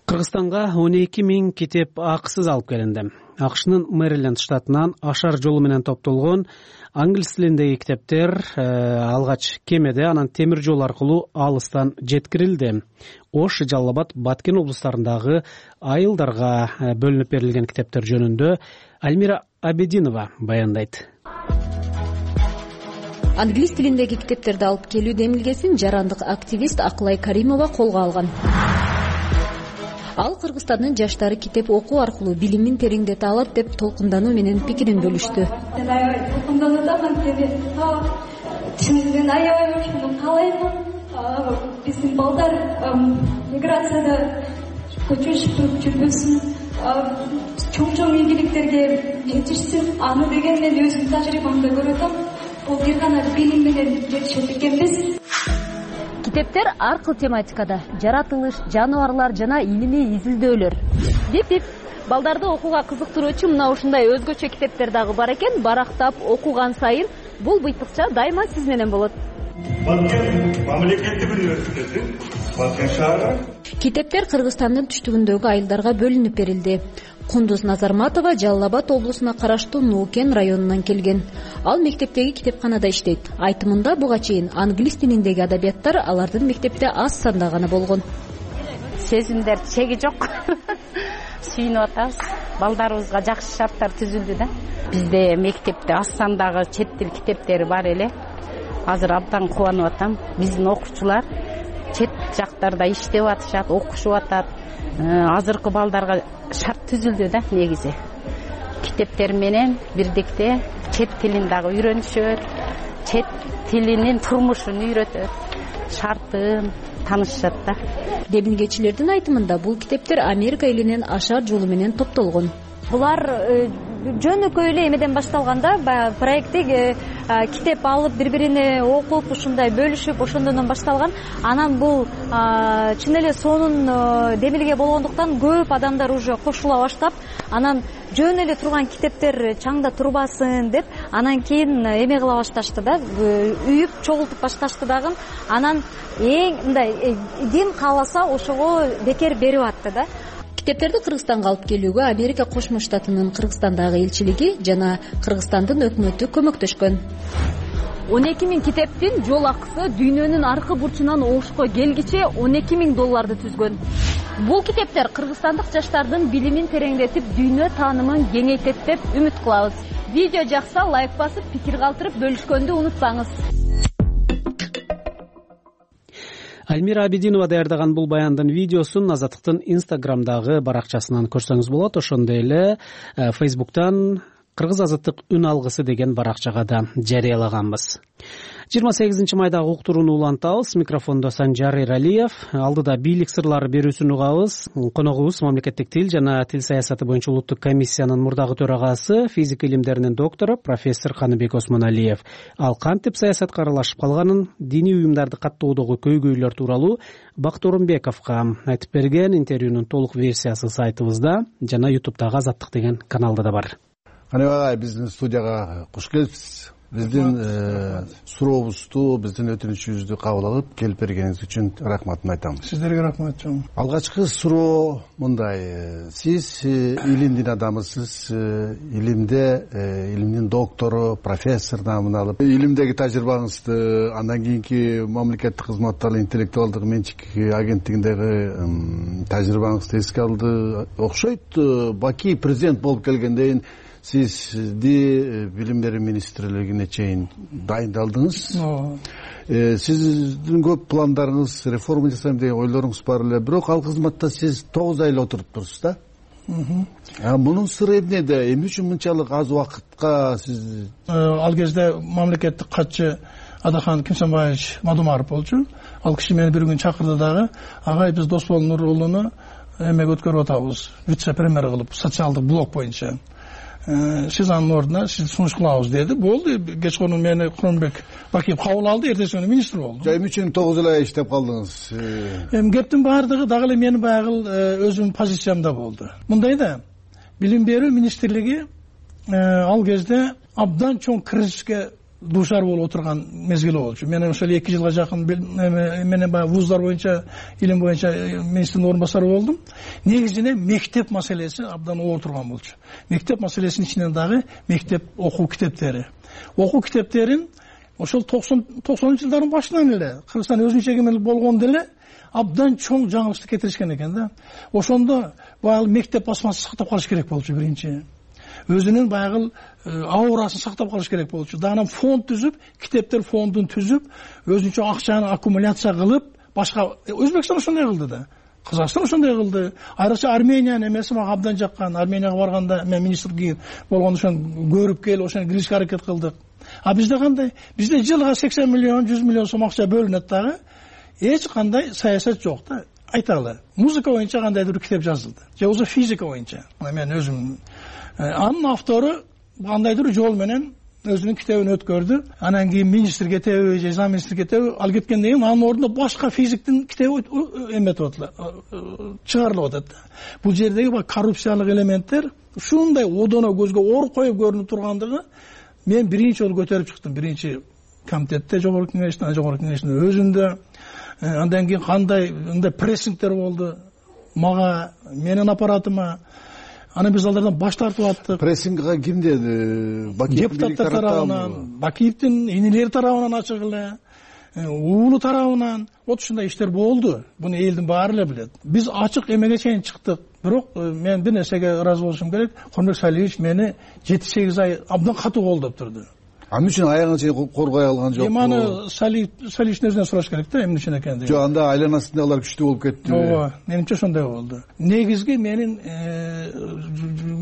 Кыргызстанга он эки миң китеп акысыз алып келинди. АКШнын Мэриленд штатынан ашар жолу менен топтолгон англис тилиндеги китептер алгач кемеде, анан темир жол аркылуу алыстан жеткирилди. Ош, Жалал Абад, Баткен облустарындагы айылдарга бөлүнүп берилген китептер жөнүндө Альмира Абединова баяндайт. Англис тилиндеги китептерди алып келүү демилгесин жарандык активист Акылай Каримова колго алган. Ал Кыргызстандын жаштары китеп окуу аркылуу билимин тереңдете алат деп толкундануу менен пикирин бөлүштү. Толкундануу анткени тилинен аябай ошону каалаймын. Биздин балдар миграцияда көчүшүп жүрбөсүн, чоң-чоң ийгиликтерге жетишсин. Аны деген мен өзүмдүн тажрыйбамда көрүп атам. Бул бир гана билим менен жетишет экенбиз. Китептер ар кыл тематикада: жаратылыш, жаныбарлар жана илимий изилдөөлөр. Бип-бип балдарды окууга кызыктыруучу мына ушундай өзгөчө китептер дагы бар экен. Барактап окуган сайын бул быйтыкча дайыма сиз менен болот. Баткен мамлекеттик университети, Баткен шаары. Китептер Кыргызстандын түштүгүндөгү айылдарга бөлүнүп берилди. Кундуз Назарматова Жалал Абад облусуна караштуу Нуукен районунан келген. Ал мектептеги китепканада иштейт. Айтымында буга чейин англис тилиндеги адабияттар алардын мектепте аз санда гана болгон. Сезимдер чеги жок. Сүйүнүп атабыз. Балдарыбызга жакшы шарттар түзүлдү да. Бизде мектепте аз сандагы чет тил китептери бар эле. Азыр абдан кубанып атам. Биздин окуучулар чет жактарда иштеп атышат, окушуп атат. Азыркы балдарга шарт түзүлдү да негизи. Китептер менен бирдикте чет тилин дагы үйрөнүшөт, чет тилинин турмушун үйрөтөт, шартын таанышышат да. Демилгечилердин айтымында бул китептер Америка элинен ашар жолу менен топтолгон. Булар жөнөкөй эле эмеден башталганда, баягы проекти китеп алып бири-бирине окуп, ушундай бөлүшүп, ошондон башталган. Анан бул чын эле сонун демилге болгондуктан көп адамдар уже кошула баштап, анан жөн эле турган китептер чаңда турбасын деп, анан кийин эме кыла башташты да, үйүп чогултуп башташты дагы. Анан эң мындай дин кааласа ошого бекер берип атты да. Китептерди Кыргызстанга алып келүүгө Америка Кошмо Штатынын Кыргызстандагы элчилиги жана Кыргызстандын өкмөтү көмөктөшкөн. он эки миң китептин жол акысы дүйнөнүн аркы бурчунан Ошко келгиче он эки миң долларды түзгөн. Бул китептер кыргызстандык жаштардын билимин тереңдетип, дүйнө таанымын кеңейтет деп үмүт кылабыз. Видео жакса лайк басып, пикир калтырып бөлүшкөндү унутпаңыз. Альмира Абединова даярдаган бул баяндын видеосун Азаттыктын Инстаграмдагы баракчасынан көрсөңүз болот. Ошондой эле Фейсбуктан Кыргыз Азаттык үн алгысы деген баракчага да жарыялаганбыз. жыйырма сегизинчи майдагы уктурууну улантабыз. Микрофондо Санжар Эралиев. Алдыда бийлик сырлары берүүсүн угабыз. Коногубуз мамлекеттик тил жана тил саясаты боюнча улуттук комиссиянын мурдагы төрагасы, физика илимдеринин доктору профессор Каныбек Осмоналиев. Ал кантип саясатка аралашып калганын, диний уюмдарды каттоодогу көйгөйлөр тууралуу Бакыт Орунбековго айтып берген. Интервьюнун толук версиясы сайтыбызда жана ютубтагы Азаттык деген каналда да бар. Каныбек агай, биздин студияга куш келипсиз. Биздин сурообузду, биздин өтүнүчүбүздү кабыл алып келип бергениңиз үчүн рахматымды айтам. Сиздерге рахмат чоң. Алгачкы суроо мындай: сиз илимдин адамысыз, илимде илимдин доктору, профессор наамын алып, илимдеги тажрыйбаңызды андан кийинки мамлекеттик кызматтагы интеллектуалдык менчик агенттигиндеги тажрыйбаңызды эске алды окшойт. Баки президент болуп келгенден сизди билим берүү министрлигине чейин дайындалдыңыз. Сиздин көп пландарыңыз, реформа жасайм деген ойлоруңуз бар эле, бирок ал кызматта сиз тогуз ай эле отуруп турсуз да. Мунун сыры эмнеде? Эмне үчүн мынчалык аз убакытка сиз? Ал кезде мамлекеттик катчы Адахан Кимсанбаевич Мадумаров болчу. Ал киши мени бир күн чакырды дагы: агай, биз Досбол Нурулууну эмеге өткөрүп атабыз, вице премьер кылып, социалдык блок боюнча. Сиз анын ордуна сизди сунуш кылабыз деди. Болду. Кечкурун мени Курманбек Бакиев кабыл алды, эртеси күнү министр болду. Эмне үчүн тогуз ай иштеп калдыңыз? Эми кептин баардыгы дагы эле менин баягы өзүмдүн позициямда болду. Мындай да, билим берүү министрлиги ал кезде абдан чоң кризиске дуушар болуп отурган мезгили болчу. Мен ошол эки жылга жакын менен баягы вуздар боюнча, илим боюнча министрдин орун басары болдум. Негизинен мектеп маселеси абдан оор турган болчу. Мектеп маселесинин ичинен дагы мектеп окуу китептери. Окуу китептерин ошол токсонунчу жылдардын башынан эле Кыргызстан өзүнчө эгемендик болгондо эле абдан чоң жаңылыштык кетиришкен экен да. Ошондо баягы мектеп басмасын сактап калыш керек болчу биринчи. Өзүнүн баягы аурасын сактап калыш керек болчу. Дагы фонд түзүп, китептер фондун түзүп, өзүнчө акчаны аккумуляция кылып, башка Өзбекстан ошондой кылды да. Казакстан ошондой кылды. Айрыкча Армениянын эмеси мага абдан жаккан. Арменияга барганда мен министр болгондо ошону көрүп келип, ошону киришке аракет кылдык. А бизде кандай? Бизде жылга сексен миллион, жүз миллион сом акча бөлүнөт дагы. Эч кандай саясат жок да. Айталы. Музыка боюнча кандайдыр китеп жазылды. Же болбосо физика боюнча. Мен өзүм анын автору кандайдыр жол менен өзүнүн китебин өткөрдү. Анан кийин министр кетеби, же зам министр кетеби, ал кеткенден кийин анын ордуна башка физиктин китеби эметип атат, чыгарылып атат. Бул жердеги бак коррупциялык элементтер ушундай одоно көзгө оор коюп көрүнүп тургандыгы мен биринчи жолу көтөрүп чыктым. Биринчи комитетте, жогорку кеңештин, жогорку кеңештин өзүндө. Андан кийин кандай мындай прессингдер болду мага, менин аппаратыма. Аны биз алардан баш тартып аттык. Прессингге ким деди? Депутаттар тарабынан, Бакиевдин инилери тарабынан ачык эле, уулу тарабынан. Вот ушундай иштер болду. Буну элдин баары эле билет. Биз ачык эмеге чейин чыктык. Бирок мен бир нерсеге ыраазы болушум керек. Курманбек Салиевич мени жети сегиз ай абдан катуу колдоп турду. Эмне үчүн аягына чейин коргой алган жокпу? Эми аны Салиевичтин өзүнөн сураш керек да, эмне үчүн экендигин. Жок, анда айланасындагылар күчтүү болуп кетти. Ооба, менимче ошондой болду. Негизги менин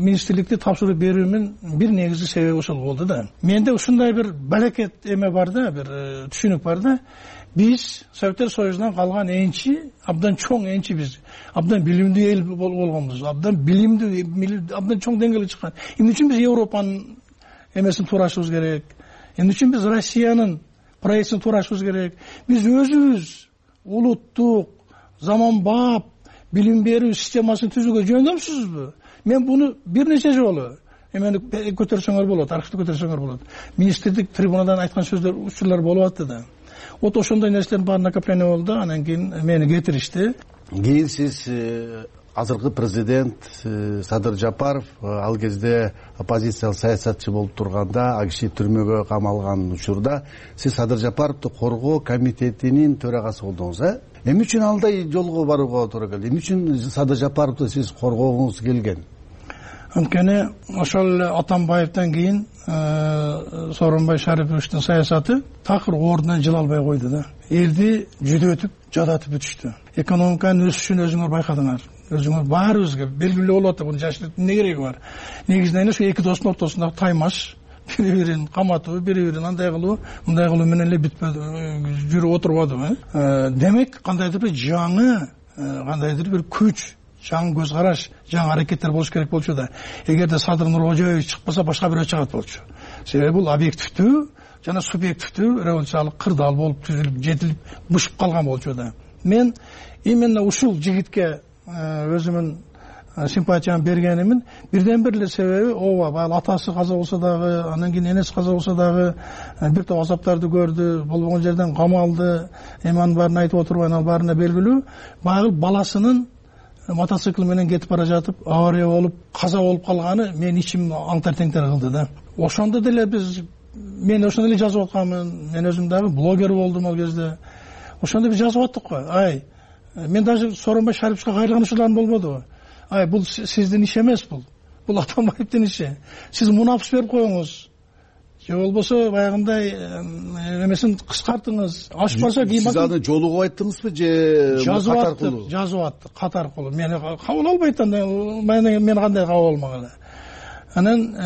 министрликти тапшырып берүүмүн бир негизги себеби ошол болду да. Менде ушундай бир балекет эме бар да, бир түшүнүк бар да. Биз Советтер Союзунан калган энчи, абдан чоң энчи биз. Абдан билимдүү эл болгонбуз. Абдан билимдүү, абдан чоң деңгээлге чыккан. Эмне үчүн биз Европанын эмесин туурашыбыз керек? Эмне үчүн биз Россиянын проектин туурашыбыз керек? Биз өзүбүз улуттук, заманбап билим берүү системасын түзүүгө жөндөмсүзбү? Мен буну бир нече жолу эмени көтөрсөңөр болот, архивди көтөрсөңөр болот. Министрлик трибунадан айткан сөздөр, учурлар болуп атты да. Вот ошондой нерселердин баары накопление болду. Анан кийин мени кетиришти. Кийин сиз азыркы президент Садыр Жапаров ал кезде оппозициялык саясатчы болуп турганда, ал киши түрмөгө камалган учурда сиз Садыр Жапаровду коргоо комитетинин төрагасы болдуңуз, э? Эмне үчүн андай жолго барууга туура келди? Эмне үчүн Садыр Жапаровду сиз коргогуңуз келген? Анткени ошол Атамбаевден кийин Сооронбай Шариповичтин саясаты такыр ордунан жыла албай койду да. Элди жүдөтүп, жадатып бүтүштү. Экономиканын өсүшүн өзүңөр байкадыңар. Өзүңөр баарыбызга белгилүү болуп атты. Буну жашырып эмне кереги бар? Негизинен ошо эки достун ортосундагы таймаш, бири-бирин каматуу, бири-бирин андай кылуу, мындай кылуу менен эле бүтпөдү, жүрүп отурбадыбы? Демек, кандайдыр бир жаңы, кандайдыр бир күч, жаңы көз караш, жаңы аракеттер болуш керек болчу да. Эгерде Садыр Нуркожоевич чыкпаса, башка бирөө чыгат болчу. Себеби бул объективдүү жана субъективдүү революциялык кырдаал болуп түзүлүп, жетилип, бушуп калган болчу да. Мен именно ушул жигитке өзүмүн симпатиямды бергенимин бирден бир эле себеби, ооба, баягы атасы каза болсо дагы, андан кийин энеси каза болсо дагы бир топ азаптарды көрдү, болбогон жерден камалды, эми анын баарын айтып отурбайм, ал баарына белгилүү. Баягы баласынын мотоцикл менен кетип бара жатып, авария болуп, каза болуп калганы мен ичим аңтар-теңтер кылды да. Ошондо деле биз, мен ошондо эле жазып атканмын, мен өзүм дагы блогер болдум ал кезде. Ошондо биз жазып аттык го. Ай, мен даже Сооронбай Шариповичке кайрылган учурларым болбодубу? Ай, бул сиздин иш эмес бул. Бул Атамбаевдин иши. Сиз мунапс берип коюңуз. Же болбосо баягындай эмесин кыскартыңыз. Ашпаса кийин сиз аны жолугуп айттыңызбы же кат аркылуу? Жазып аттык, кат аркылуу. Мени кабыл албайт анда, мен кандай кабыл алмаган. Анан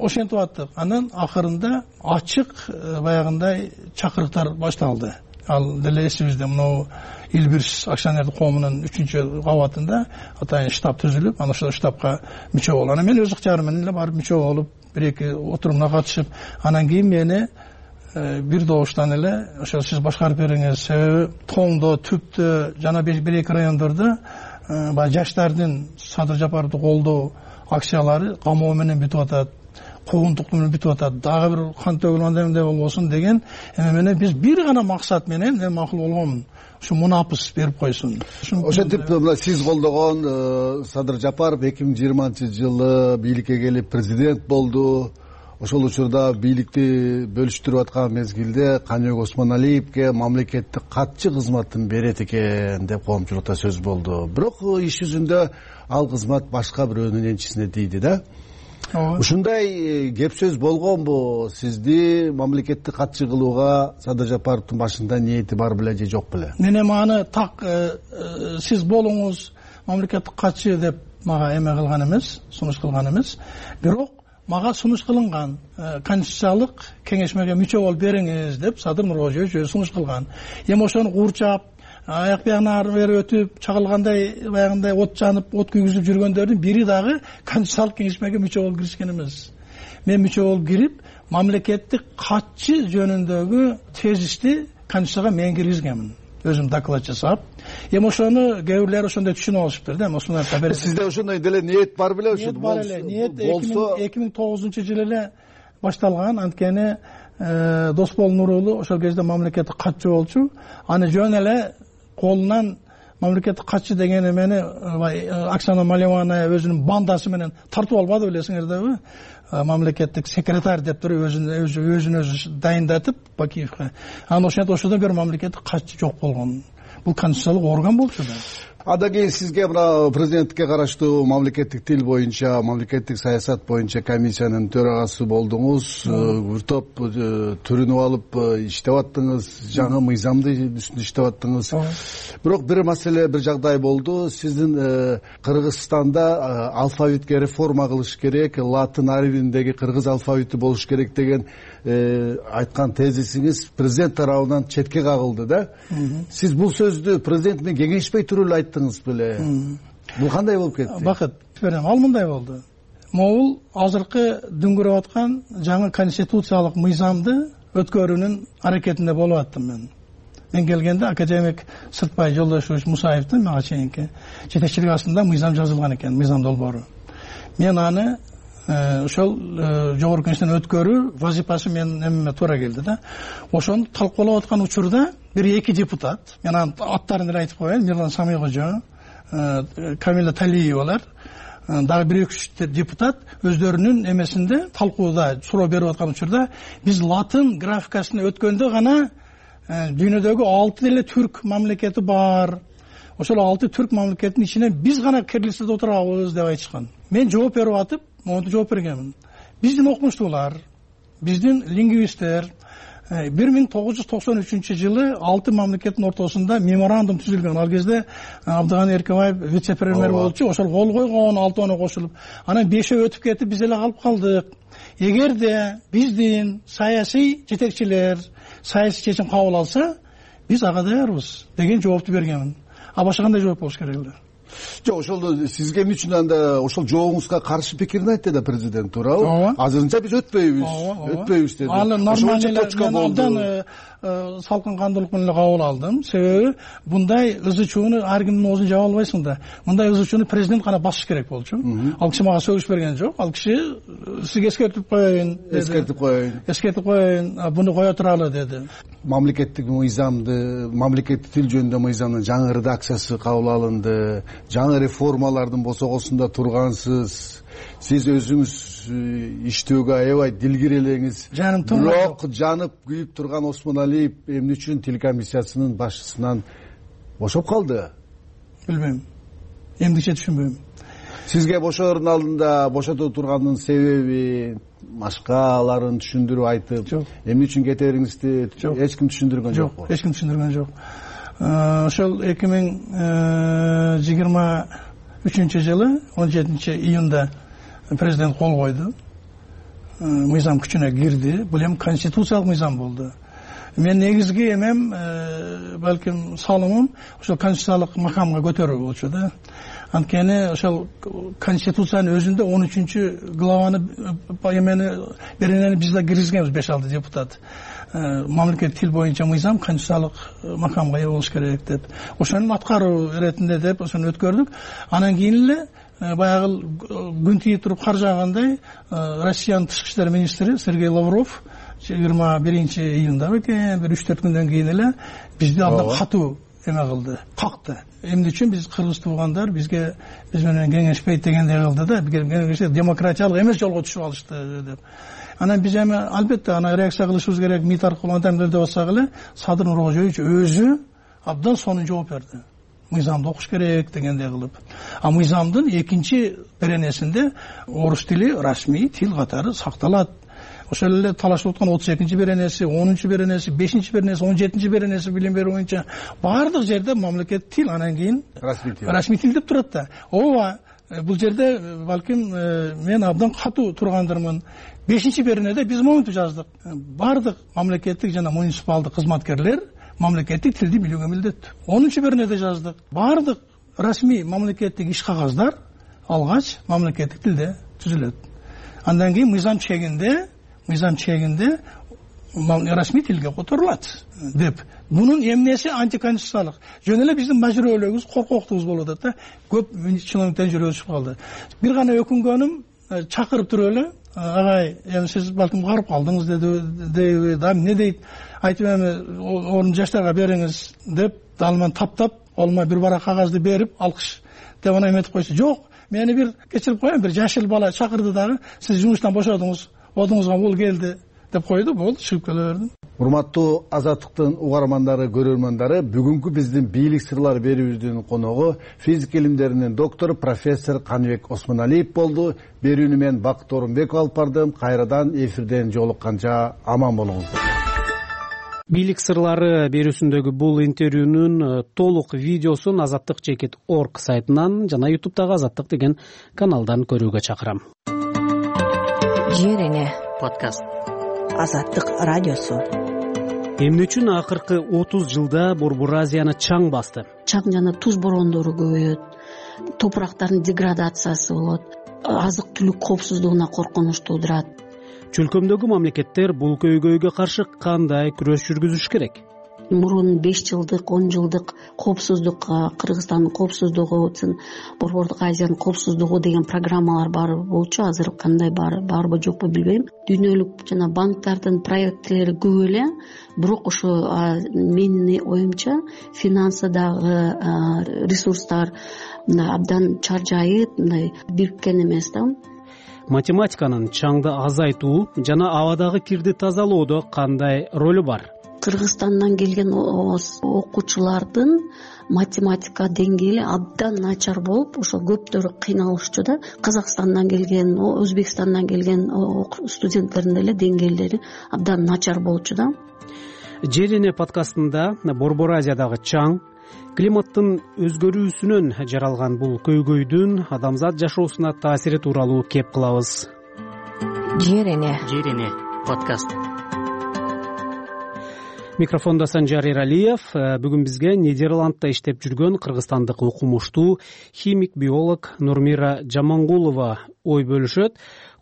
ошентип аттык. Анан акырында ачык баягындай чакырыктар башталды. ал деле эсибизде мынау Илбирс акционердик коомунун үчүнчү кабатында атайын штаб түзүлүп, анан ошол штабка мүчө болуп, анан мен өз ыктыярым менен эле барып мүчө болуп, бир эки отурумуна катышып, анан кийин мени бир добуштан эле ошол сиз башкарып бериңиз. Себеби тоңдо, түптө жана бир эки райондордо баягы жаштардын Садыр Жапаровду колдоо акциялары камоо менен бүтүп атат, куугунтук менен бүтүп атат, дагы бир кан төгүлгөндөй эмне болбосун деген эме менен биз бир гана максат менен мен макул болгонмун, ушу мунапыс берип койсун. Ошентип мына сиз колдогон Садыр Жапаров эки миң жыйырманчы жылы бийликке келип президент болду. Ошол учурда бийликти бөлүштүрүп аткан мезгилде Каныбек Осмоналиевке мамлекеттик катчы кызматын берет экен деп коомчулукта сөз болду. Бирок иш жүзүндө ал кызмат башка бирөөнүн энчисине тийди да. Ушундай кеп сөз болгонбу? Сизди мамлекеттик катчы кылууга Садыр Жапаровдун башында ниети бар беле же жок беле? Мен эми аны так сиз болуңуз мамлекеттик катчы деп мага эме кылган эмес, сунуш кылган эмес. Бирок мага сунуш кылынган, конституциялык кеңешмеге мүчө болуп бериңиз деп Садыр Нуркожоевич өзү сунуш кылган. Эми ошону куурчап, аяк биягына ары бери өтүп, чагылгандай баягындай от жанып, от күйгүзүп жүргөндөрдүн бири дагы конституциялык кеңешмеге мүчө болуп киришкен эмес. Мен мүчө болуп кирип, мамлекеттик катчы жөнүндөгү тезисти конституцияга мен киргизгенмин. Өзүм доклад жасап. Эми ошону кээ бирлери ошондой түшүнүп алышыптыр да. Осмоналиев сизде ошондой деле ниет бар беле? Ниет бар эле. Ниет эки миң тогузунчу жылы эле башталган. Анткени Досбол Нурулу ошол кезде мамлекеттик катчы болчу. Аны жөн эле колунан мамлекеттик катчы деген эмени Оксана Малевана өзүнүн бандасы менен тартып албады билесиңерби? Мамлекеттик секретарь деп туруп өзүн өзүн өзү дайындатып Бакиевке. Анан ошентип ошодон бери мамлекеттик катчы жок болгон. Бул конституциялык орган болчу да. Андан кийин сизге мына президенттикке караштуу мамлекеттик тил боюнча, мамлекеттик саясат боюнча комиссиянын төрагасы болдуңуз. Бир топ түрүнүп алып иштеп аттыңыз, жаңы мыйзамды үстүндө иштеп аттыңыз. Бирок бир маселе, бир жагдай болду. Сиздин Кыргызстанда алфавитке реформа кылыш керек, латын арбиндеги кыргыз алфавити болуш керек деген айткан тезисиңиз президент тарабынан четке кагылды да. Сиз бул сөздү президент менен кеңешпей туруп эле айттыңыз беле? Бул кандай болуп кетти? Бакыт берем, ал мындай болду. Могул азыркы дүңгүрөп аткан жаңы конституциялык мыйзамды өткөрүүнүн аракетинде болуп аттым мен. Мен келгенде академик Сыртбай Жолдошевич Мусаевдин мага чейинки жетекчилик астында мыйзам жазылган экен, мыйзам долбоору. Мен аны ошол жогорку кеңештен өткөрүү вазифасы менин эмеме туура келди да. Ошону талкуулап аткан учурда бир эки депутат, мен анын аттарын эле айтып коеюн, Мирлан Самыйкожо, Камила Талиевалар, дагы бир үч депутат өздөрүнүн эмесинде талкууда суроо берип аткан учурда биз латын графикасына өткөндө гана дүйнөдөгү алты деле түрк мамлекети бар. Ошол алты түрк мамлекетинин ичинен биз гана кирлицада отурабыз деп айтышкан. Мен жооп берип атып, монтип жооп бергенмин. Биздин окумуштуулар, биздин лингвисттер бир миң тогуз жүз токсон үчүнчү жылы алты мамлекеттин ортосунда меморандум түзүлгөн. Ал кезде Абдыган Эркебаев вице-премьер болчу, ошол кол койгон, алтоона кошулуп. Анан бешөө өтүп кетип, биз эле калып калдык. Эгерде биздин саясий жетекчилер саясий чечим кабыл алса, биз ага даярбыз деген жоопту бергенмин. А башка кандай жооп болуш керек эле? Жок, ошол сизге эмне үчүн анда ошол жообуңузга каршы пикирин айтты да президент, туурабы? Азырынча биз өтпөйбүз, өтпөйбүз деди. Аны нормально салкын кандуулук менен кабыл алдым. Себеби мындай ызы чууну ар кимдин оозун жаба албайсың да. Мындай ызы чууну президент гана басыш керек болчу. Ал киши мага сөгүш берген жок. Ал киши сизге эскертип коеюн деди. Эскертип коеюн. Эскертип коеюн, буну кое туралы деди. Мамлекеттик мыйзамды, мамлекеттик тил жөнүндө мыйзамдын жаңы редакциясы кабыл алынды. Жаңы реформалардын босогосунда тургансыз. Сиз өзүңүз иштөөгө аябай дилгир элеңиз. Бирок жанып күйүп турган Осмоналиев эмне үчүн тил комиссиясынын башчысынан бошоп калды? Билбейм. Эмдиче түшүнбөйм. Сизге бошоордун алдында бошото турганынын себеби, башкаларын түшүндүрүп айтып, эмне үчүн кете бериңизди эч ким түшүндүргөн жокпу? Жок, эч ким түшүндүргөн жок. Ошол эки миң жыйырма үчүнчү жылы он жетинчи июнда президент кол койду. Мыйзам күчүнө кирди. Бул эми конституциялык мыйзам болду. мен негизги эмем балким салымым ошол конституциялык макамга көтөрүү болчу да. Анткени ошол конституциянын өзүндө он үчүнчү главаны эмени беренени биз да киргизгенбиз, беш алты депутат. Мамлекеттик тил боюнча мыйзам конституциялык макамга ээ болуш керек деп, ошонун аткаруу иретинде деп ошону өткөрдүк. Анан кийин эле баягы күн тийип туруп кар жаагандай Россиянын тышкы иштер министри Сергей Лавров жыйырма биринчи июнда экен, бир үч төрт күндөн кийин эле бизди абдан катуу эме кылды, какты. Эмне үчүн биз кыргыз туугандар бизге биз менен кеңешпейт дегендей кылды да, кеңешпейт, демократиялык эмес жолго түшүп алышты деп. Анан биз эми албетте ана реакция кылышыбыз керек, МИД аркылуу антем деп атсак эле Садыр Нуркожоевич өзү абдан сонун жооп берди. Мыйзамды окуш керек дегендей кылып. А мыйзамдын экинчи беренесинде орус тили расмий тил катары сакталат. Ошол эле талашып аткан отуз экинчи беренеси, онунчу беренеси, бешинчи беренеси, он жетинчи беренеси билим берүү боюнча баардык жерде мамлекеттик тил, анан кийин расмий тил деп турат да. Ооба, бул жерде балким мен абдан катуу тургандырмын. бешинчи беренеде биз монтип жаздык. Баардык мамлекеттик жана муниципалдык кызматкерлер мамлекеттик тилди билүүгө милдеттүү. онунчу беренеде жаздык. Баардык расмий мамлекеттик иш кагаздар алгач мамлекеттик тилде түзүлөт. Андан кийин мыйзам чегинде, мыйзам чегинде расмий тилге которулат деп. Мунун эмнеси антиконституциялык. Жөн эле биздин мажүрөлөгүбүз, коркоктугубуз болуп атат да. Көп чиновниктен жүрөгү түшүп калды. Бир гана өкүнгөнүм, чакырып туруп эле, агай, эми сиз балким карып калдыңыз деди, да эмне дейт, айтып эми орун жаштарга бериңиз деп, далман таптап, колума бир барак кагазды берип, алкыш деп анан эметип койсо, жок, мени бир кечирип коеюн, бир жашыл бала чакырды дагы, сиз жумуштан бошодуңуз, одуңузга бул келди деп койду, болду, чыгып келе бердим. Урматтуу Азаттыктын угармандары, көрөрмандары, бүгүнкү биздин бийлик сырлары берүүбүздүн коногу физика илимдеринин доктору профессор Каныбек Осмоналиев болду. Берүүнү мен Бакыт Орунбеков алып бардым. Кайрадан эфирден жолукканча аман болуңуздар. Бийлик сырлары берүүсүндөгү бул интервьюнун толук видеосун азаттык чекит точка орг сайтынан жана ютубтагы Азаттык деген каналдан көрүүгө чакырам. Жер эне подкаст. Азаттык радиосу. Эмне үчүн акыркы отуз жылда Борбор Азияны чаң басты? Чаң жана туз борондору көбөйөт, топурактардын деградациясы болот, азык түлүк коопсуздугуна коркунуч туудурат. Чөлкөмдөгү мамлекеттер бул көйгөйгө каршы кандай күрөш жүргүзүш керек? Мурун беш жылдык, он жылдык коопсуздук, Кыргызстандын коопсуздугу, Борбордук Азиянын коопсуздугу деген программалар бар болчу. Азыр кандай бар, барбы жокпу билбейм. Дүйнөлүк жана банктардын проекттери көп эле, бирок ошо менин оюмча финансы дагы, ресурстар абдан чаржайып, мындай бириккен эмес да. Математиканын чаңды азайтуу жана абадагы кирди тазалоодо кандай ролу бар? Кыргызстандан келген окуучулардын математика деңгээли абдан начар болуп, ошо көптөрү кыйналышчу да. Казакстандан келген, Өзбекстандан келген студенттердин деле деңгээлдери абдан начар болчу да. Жер эне подкастында Борбор Азиядагы чаң, климаттын өзгөрүүсүнөн жаралган бул көйгөйдүн адамзат жашоосуна таасири тууралуу кеп кылабыз. Жер эне. Жер эне подкаст. Микрофондо Санжар Эралиев. Бүгүн бизге Нидерландта иштеп жүргөн кыргызстандык окумуштуу химик биолог Нурмира Жамангулова ой бөлүшөт.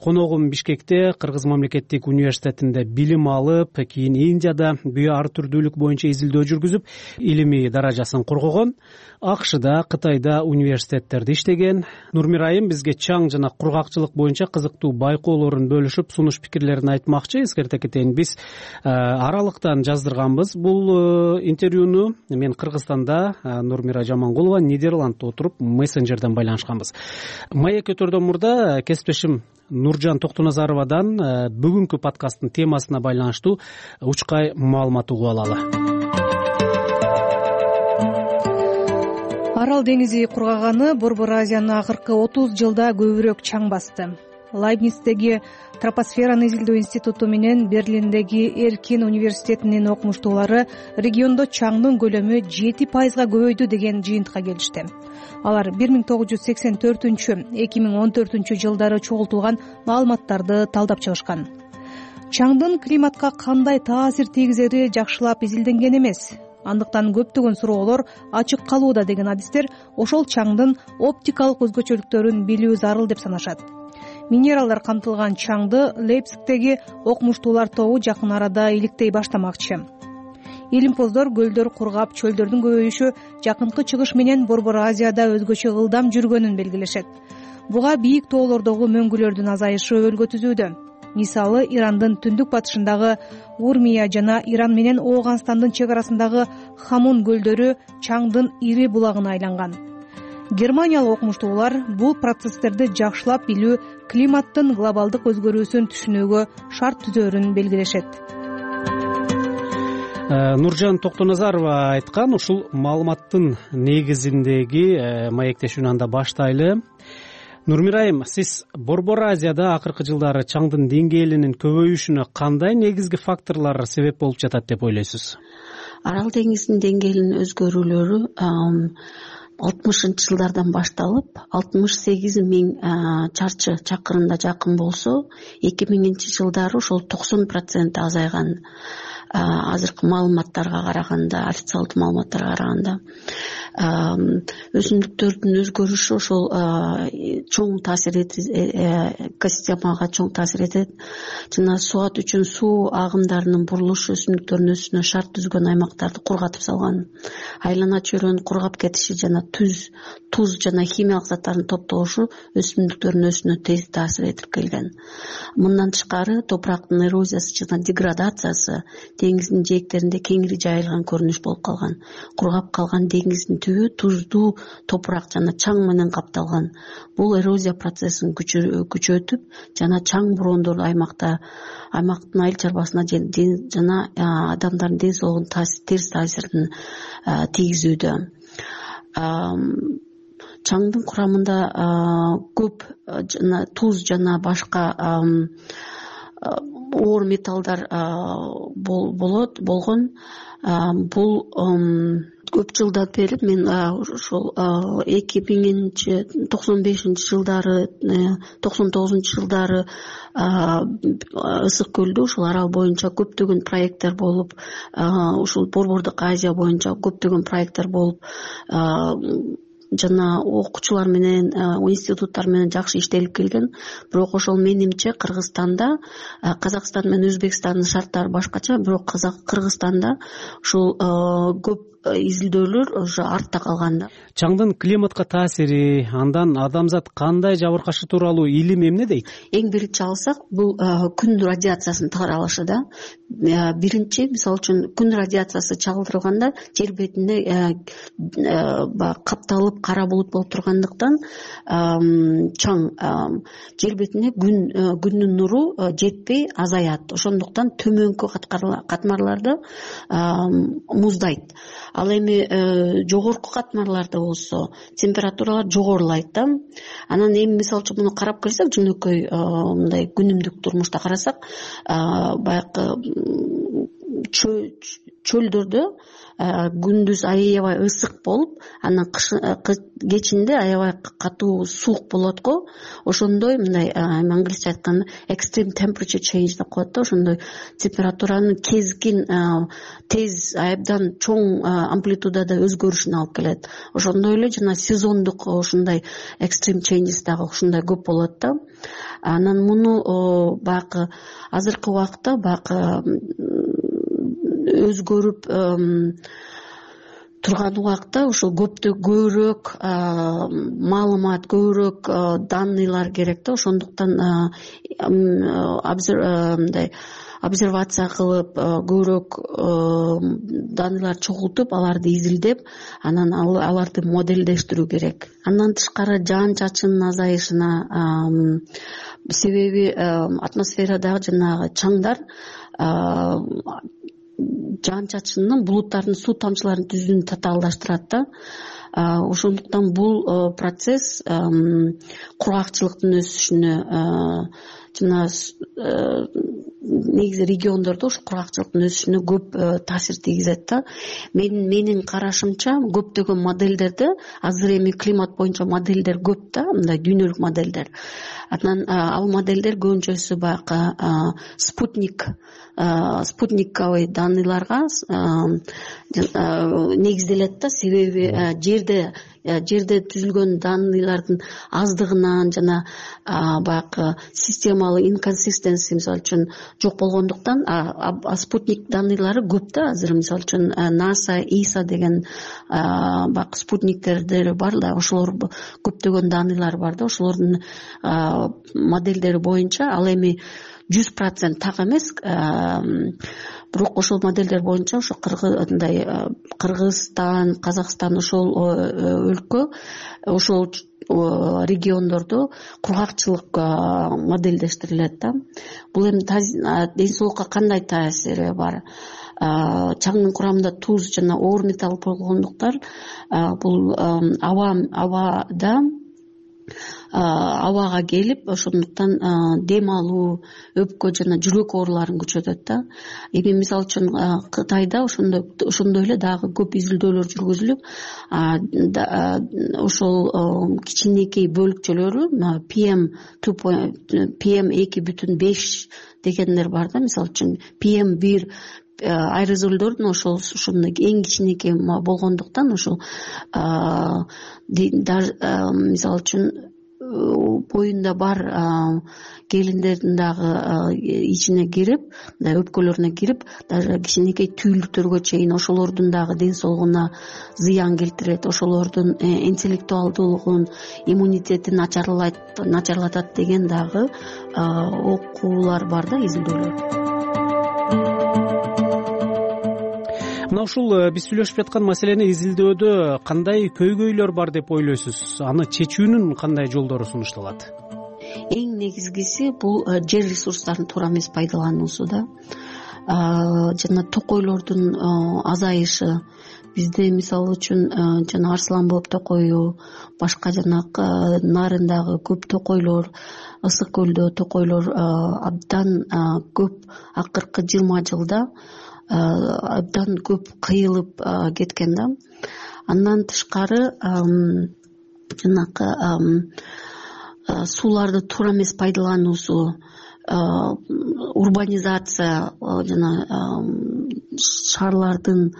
Коногум Бишкекте Кыргыз мамлекеттик университетинде билим алып, кийин Индияда био ар түрдүүлүк боюнча изилдөө жүргүзүп, илимий даражасын коргогон. АКШда, Кытайда университеттерде иштеген. Нурмира айым бизге чаң жана кургакчылык боюнча кызыктуу байкоолорун бөлүшүп, сунуш пикирлерин айтмакчы. Эскерте кетейин, биз аралыктан жаздырганбыз бул интервьюну. Мен Кыргызстанда, Нурмира Жамангулова Нидерландта отуруп мессенджерден байланышканбыз. Маек өтөрдөн мурда кесиптешим Нуржан Токтоназаровадан бүгүнкү подкасттын темасына байланыштуу учкай маалымат угуп алалы. Арал деңизи кургаганы Борбор Азияны акыркы отуз жылда көбүрөөк чаң басты. Лайбництеги Тропосфераны изилдөө институту менен Берлиндеги Эркин университетинин окумуштуулары региондо чаңдын көлөмү жети пайызга көбөйдү деген жыйынтыкка келишти. Алар бир миң тогуз жүз сексен төртүнчү эки миң он төртүнчү жылдары чогултулган маалыматтарды талдап чыгышкан. чаңдын климатка кандай таасир тийгизери жакшылап изилденген эмес, андыктан көптөгөн суроолор ачык калууда деген адистер ошол чаңдын оптикалык өзгөчөлүктөрүн билүү зарыл деп санашат. Минералдар камтылган чаңды Лейпцигтеги окумуштуулар тобу жакын арада иликтей баштамакчы. Илимпоздор көлдөр кургап, чөлдөрдүн көбөйүшү жакынкы чыгыш менен Борбор Азияда өзгөчө ылдам жүргөнүн белгилешет. Буга бийик тоолордогу мөңгүлөрдүн азайышы өбөлгө түзүүдө. Мисалы, Ирандын түндүк батышындагы Урмия жана Иран менен Ооганстандын чек арасындагы Хамун көлдөрү чаңдын ири булагына айланган. Германиялык окумуштуулар бул процесстерди жакшылап билүү климаттын глобалдык өзгөрүүсүн түшүнүүгө шарт түзөрүн белгилешет. Нуржан Токтоназарова айткан ушул маалыматтын негизиндеги маектешүүнү анда баштайлы. Нурмирайым, сиз Борбор Азияда акыркы жылдары чаңдын деңгээлинин көбөйүшүнө кандай негизги факторлор себеп болуп жатат деп ойлойсуз? Арал деңизинин деңгээлинин өзгөрүүлөрү алтымышынчы жылдардан башталып, алтымыш сегиз миң чарчы чакырымга жакын болсо, эки миңинчи жылдары ошол токсон процент азайган. Азыркы маалыматтарга караганда, официалдуу маалыматтарга караганда, өсүмдүктөрдүн өзгөрүшү ошол чоң таасир этет, экосистемага чоң таасир этет. Жана суат үчүн суу агымдарынын бурулушу өсүмдүктөрдүн өсүшүнө шарт түзгөн аймактарды кургатып салган. Айлана чөйрөнүн кургап кетиши жана туз, туз жана химиялык заттардын топтолушу өсүмдүктөрдүн өсүшүнө тез таасир этип келген. Мындан тышкары, топурактын эрозиясы жана деградациясы деңиздин жээктеринде кеңири жайылган көрүнүш болуп калган. Кургап калган деңиздин түбү туздуу топурак жана чаң менен капталган. Бул эрозия процессин күчөтүп жана чаң бороондор аймакта аймактын айыл чарбасына жана адамдардын ден соолугуна терс таасирин тийгизүүдө. Чаңдын курамында көп жана туз жана башка оор металлдар болот болгон. Бул көп жылдан бери мен ошол эки миңинчи токсон бешинчи жылдары, токсон тогузунчу жылдары Ысык көлдө ушул арал боюнча көптөгөн проекттер болуп, ушул Борбордук Азия боюнча көптөгөн проекттер болуп, жана окуучулар менен, институттар менен жакшы иштелип келген. Бирок ошол менимче Кыргызстанда, Казакстан менен Өзбекстандын шарттары башкача, бирок Кыргызстанда ушул көп изилдөөлөр уже артта калган да. Чаңдын климатка таасири, андан адамзат кандай жабыркашы тууралуу илим эмне дейт? Эң биринчи алсак, бул күн радиациясынын таралышы да. Биринчи, мисалы үчүн, күн радиациясы чагылдырылганда жер бетинде капталып кара булут болуп тургандыктан чаң жер бетине күндүн нуру жетпей азаят. Ошондуктан төмөнкү катмарларда муздайт. Ал эми жогорку катмарларда болсо температуралар жогорулайт да. Анан эми мисалы үчүн муну карап көрсөк, жөнөкөй мындай күнүмдүк турмушта карасак, баягы чөлдөрдө күндүз аябай ысык болуп, анан кечинде аябай катуу суук болот го. Ошондой мындай англисче айтканда extreme temperature change деп коет да. Ошондой температуранын кезкин, тез, абдан чоң амплитудада өзгөрүшүнө алып келет. Ошондой эле жана сезондук ушундай extreme changes дагы ушундай көп болот да. Анан муну баягы азыркы убакытта баягы өзгөрүп турган убакта ошол көптө көбүрөөк маалымат, көбүрөөк данныйлар керек да. Ошондуктан мындай обсервация кылып, көбүрөөк данныйлар чогултуп, аларды изилдеп, анан аларды моделдештирүү керек. Андан тышкары жаан чачынын азайышына себеби атмосферадагы жанагы чаңдар жаан чачынын булуттардын суу тамчыларын түзүүнү татаалдаштырат да. Ошондуктан бул процесс кургакчылыктын өсүшүнө жана негизи региондордо ушу кургакчылыктын өсүшүнө көп таасир тийгизет да. Мен менин карашымча көптөгөн модельдерде азыр эми климат боюнча модельдер көп да, мындай дүйнөлүк модельдер. Анан ал модельдер көбүнчөсү баягы спутник спутниковый данныйларга негизделет да. Себеби жерде жерде түзүлгөн данныйлардын аздыгынан жана баягы системалык инконсистенси мисалы үчүн жок болгондуктан спутник данныйлары көп да. Азыр мисалы үчүн наса иса деген баягы спутниктердер бар да, ошолор көптөгөн данныйлар бар да. Ошолордун модельдери боюнча ал эми жүз процент так эмес, бирок ошол модельдер боюнча ошо мындай Кыргызстан, Казакстан ошол өлкө, ошол региондордо кургакчылык модельдештирилет да. Бул эми ден соолукка кандай таасири бар? Чаңдын курамында туз жана оор металл болгондуктан бул аба абада абага келип, ошондуктан дем алуу, өпкө жана жүрөк ооруларын күчөтөт да. Эми мисалы үчүн Кытайда ошондой ошондой эле дагы көп изилдөөлөр жүргүзүлүп, ошол кичинекей бөлүкчөлөрү пи эм пи эм эки бүтүн беш дегендер бар да. Мисалы үчүн пи эм бир аэрозолдордун ошол ошондой эң кичинекей болгондуктан ошол мисалы үчүн боюнда бар келиндердин дагы ичине кирип, мындай өпкөлөрүнө кирип, даже кичинекей түйүлдүктөргө чейин ошолордун дагы ден соолугуна зыян келтирет, ошолордун интеллектуалдуулугун, иммунитетин начарлатат деген дагы окуулар бар да, изилдөөлөр. Мына ушул биз сүйлөшүп жаткан маселени изилдөөдө кандай көйгөйлөр бар деп ойлойсуз? Аны чечүүнүн кандай жолдору сунушталат? Эң негизгиси бул жер ресурстарын туура эмес пайдалануусу да. Жана токойлордун азайышы. Бизде мисалы үчүн жана Арслан болуп токою, башка жанагы нарындагы көп токойлор, Ысык көлдө токойлор абдан көп, акыркы жыйырма жылда абдан көп кыйылып кеткен да. Андан тышкары жанагы сууларды туура эмес пайдалануусу, урбанизация жана шаарлардын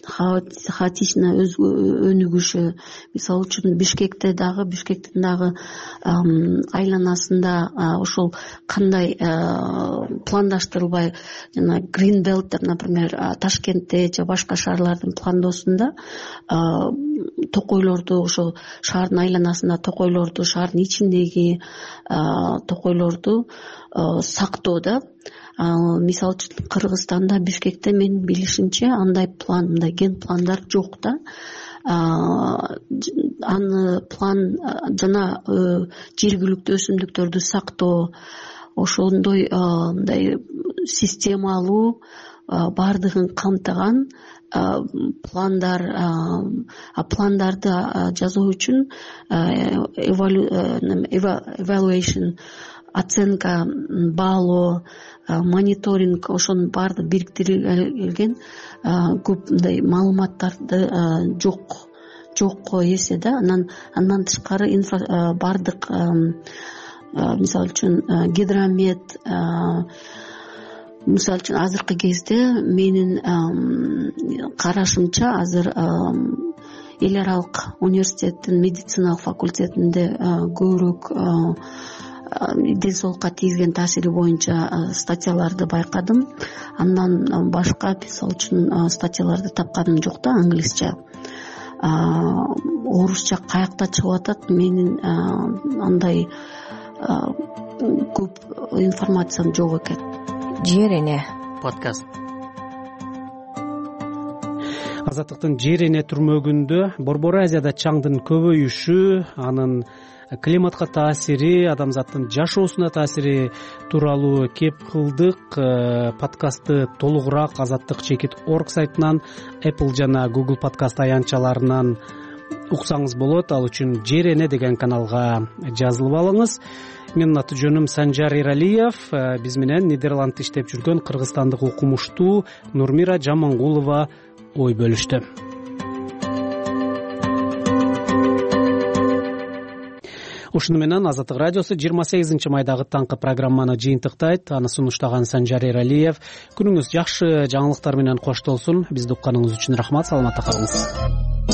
хаотично өнүгүшү. Мисалы үчүн Бишкекте дагы Бишкектин дагы айланасында ошол кандай пландаштырылбай, жана Green Belt'тер, например, Ташкентте же башка шаарлардын пландоосунда токойлорду, ошол шаардын айланасында токойлорду, шаардын ичиндеги токойлорду сактоо да. Мисалы үчүн Кыргызстанда, Бишкекте менин билишимче андай план, мындай ген пландар жок да. Аны план жана жергиликтүү өсүмдүктөрдү сактоо, ошондой мындай системалуу бардыгын камтыган пландар, пландарды жазуу үчүн evaluation, оценка, баалоо, мониторинг, ошонун баардыгы бириктирилген көп мындай маалыматтарды жок жок эсе да. Анан андан тышкары баардык мисалы үчүн гидромет, мисалы үчүн азыркы кезде менин карашымча азыр эл аралык университеттин медициналык факультетинде көбүрөөк ден соолукка тийгизген таасири боюнча статьяларды байкадым. Андан башка мисалы үчүн статьяларды тапканым жок да, англисче. Орусча каякта чыгып атат, менин андай көп информациям жок экен. Жер эне подкаст. Азаттыктын жер эне түрмөгүндө Борбор Азияда чаңдын көбөйүшү, анын климатка таасири, адамзаттын жашоосуна таасири тууралуу кеп кылдык. Подкастты толугураак азаттык чекит орг сайтынан, Apple жана Google подкаст аянтчаларынан уксаңыз болот. Ал үчүн жер эне деген каналга жазылып алыңыз. менин аты жөнүм Санжар Эралиев. Биз менен Нидерландта иштеп жүргөн кыргызстандык окумуштуу Нурмира Жамангулова ой бөлүштү. Ушуну менен Азаттык радиосу жыйырма сегизинчи майдагы таңкы программаны жыйынтыктайт. Аны сунуштаган Санжар Эралиев. Күнүңүз жакшы жаңылыктар менен коштолсун. Бизди укканыңыз үчүн рахмат. Саламатта калыңыз.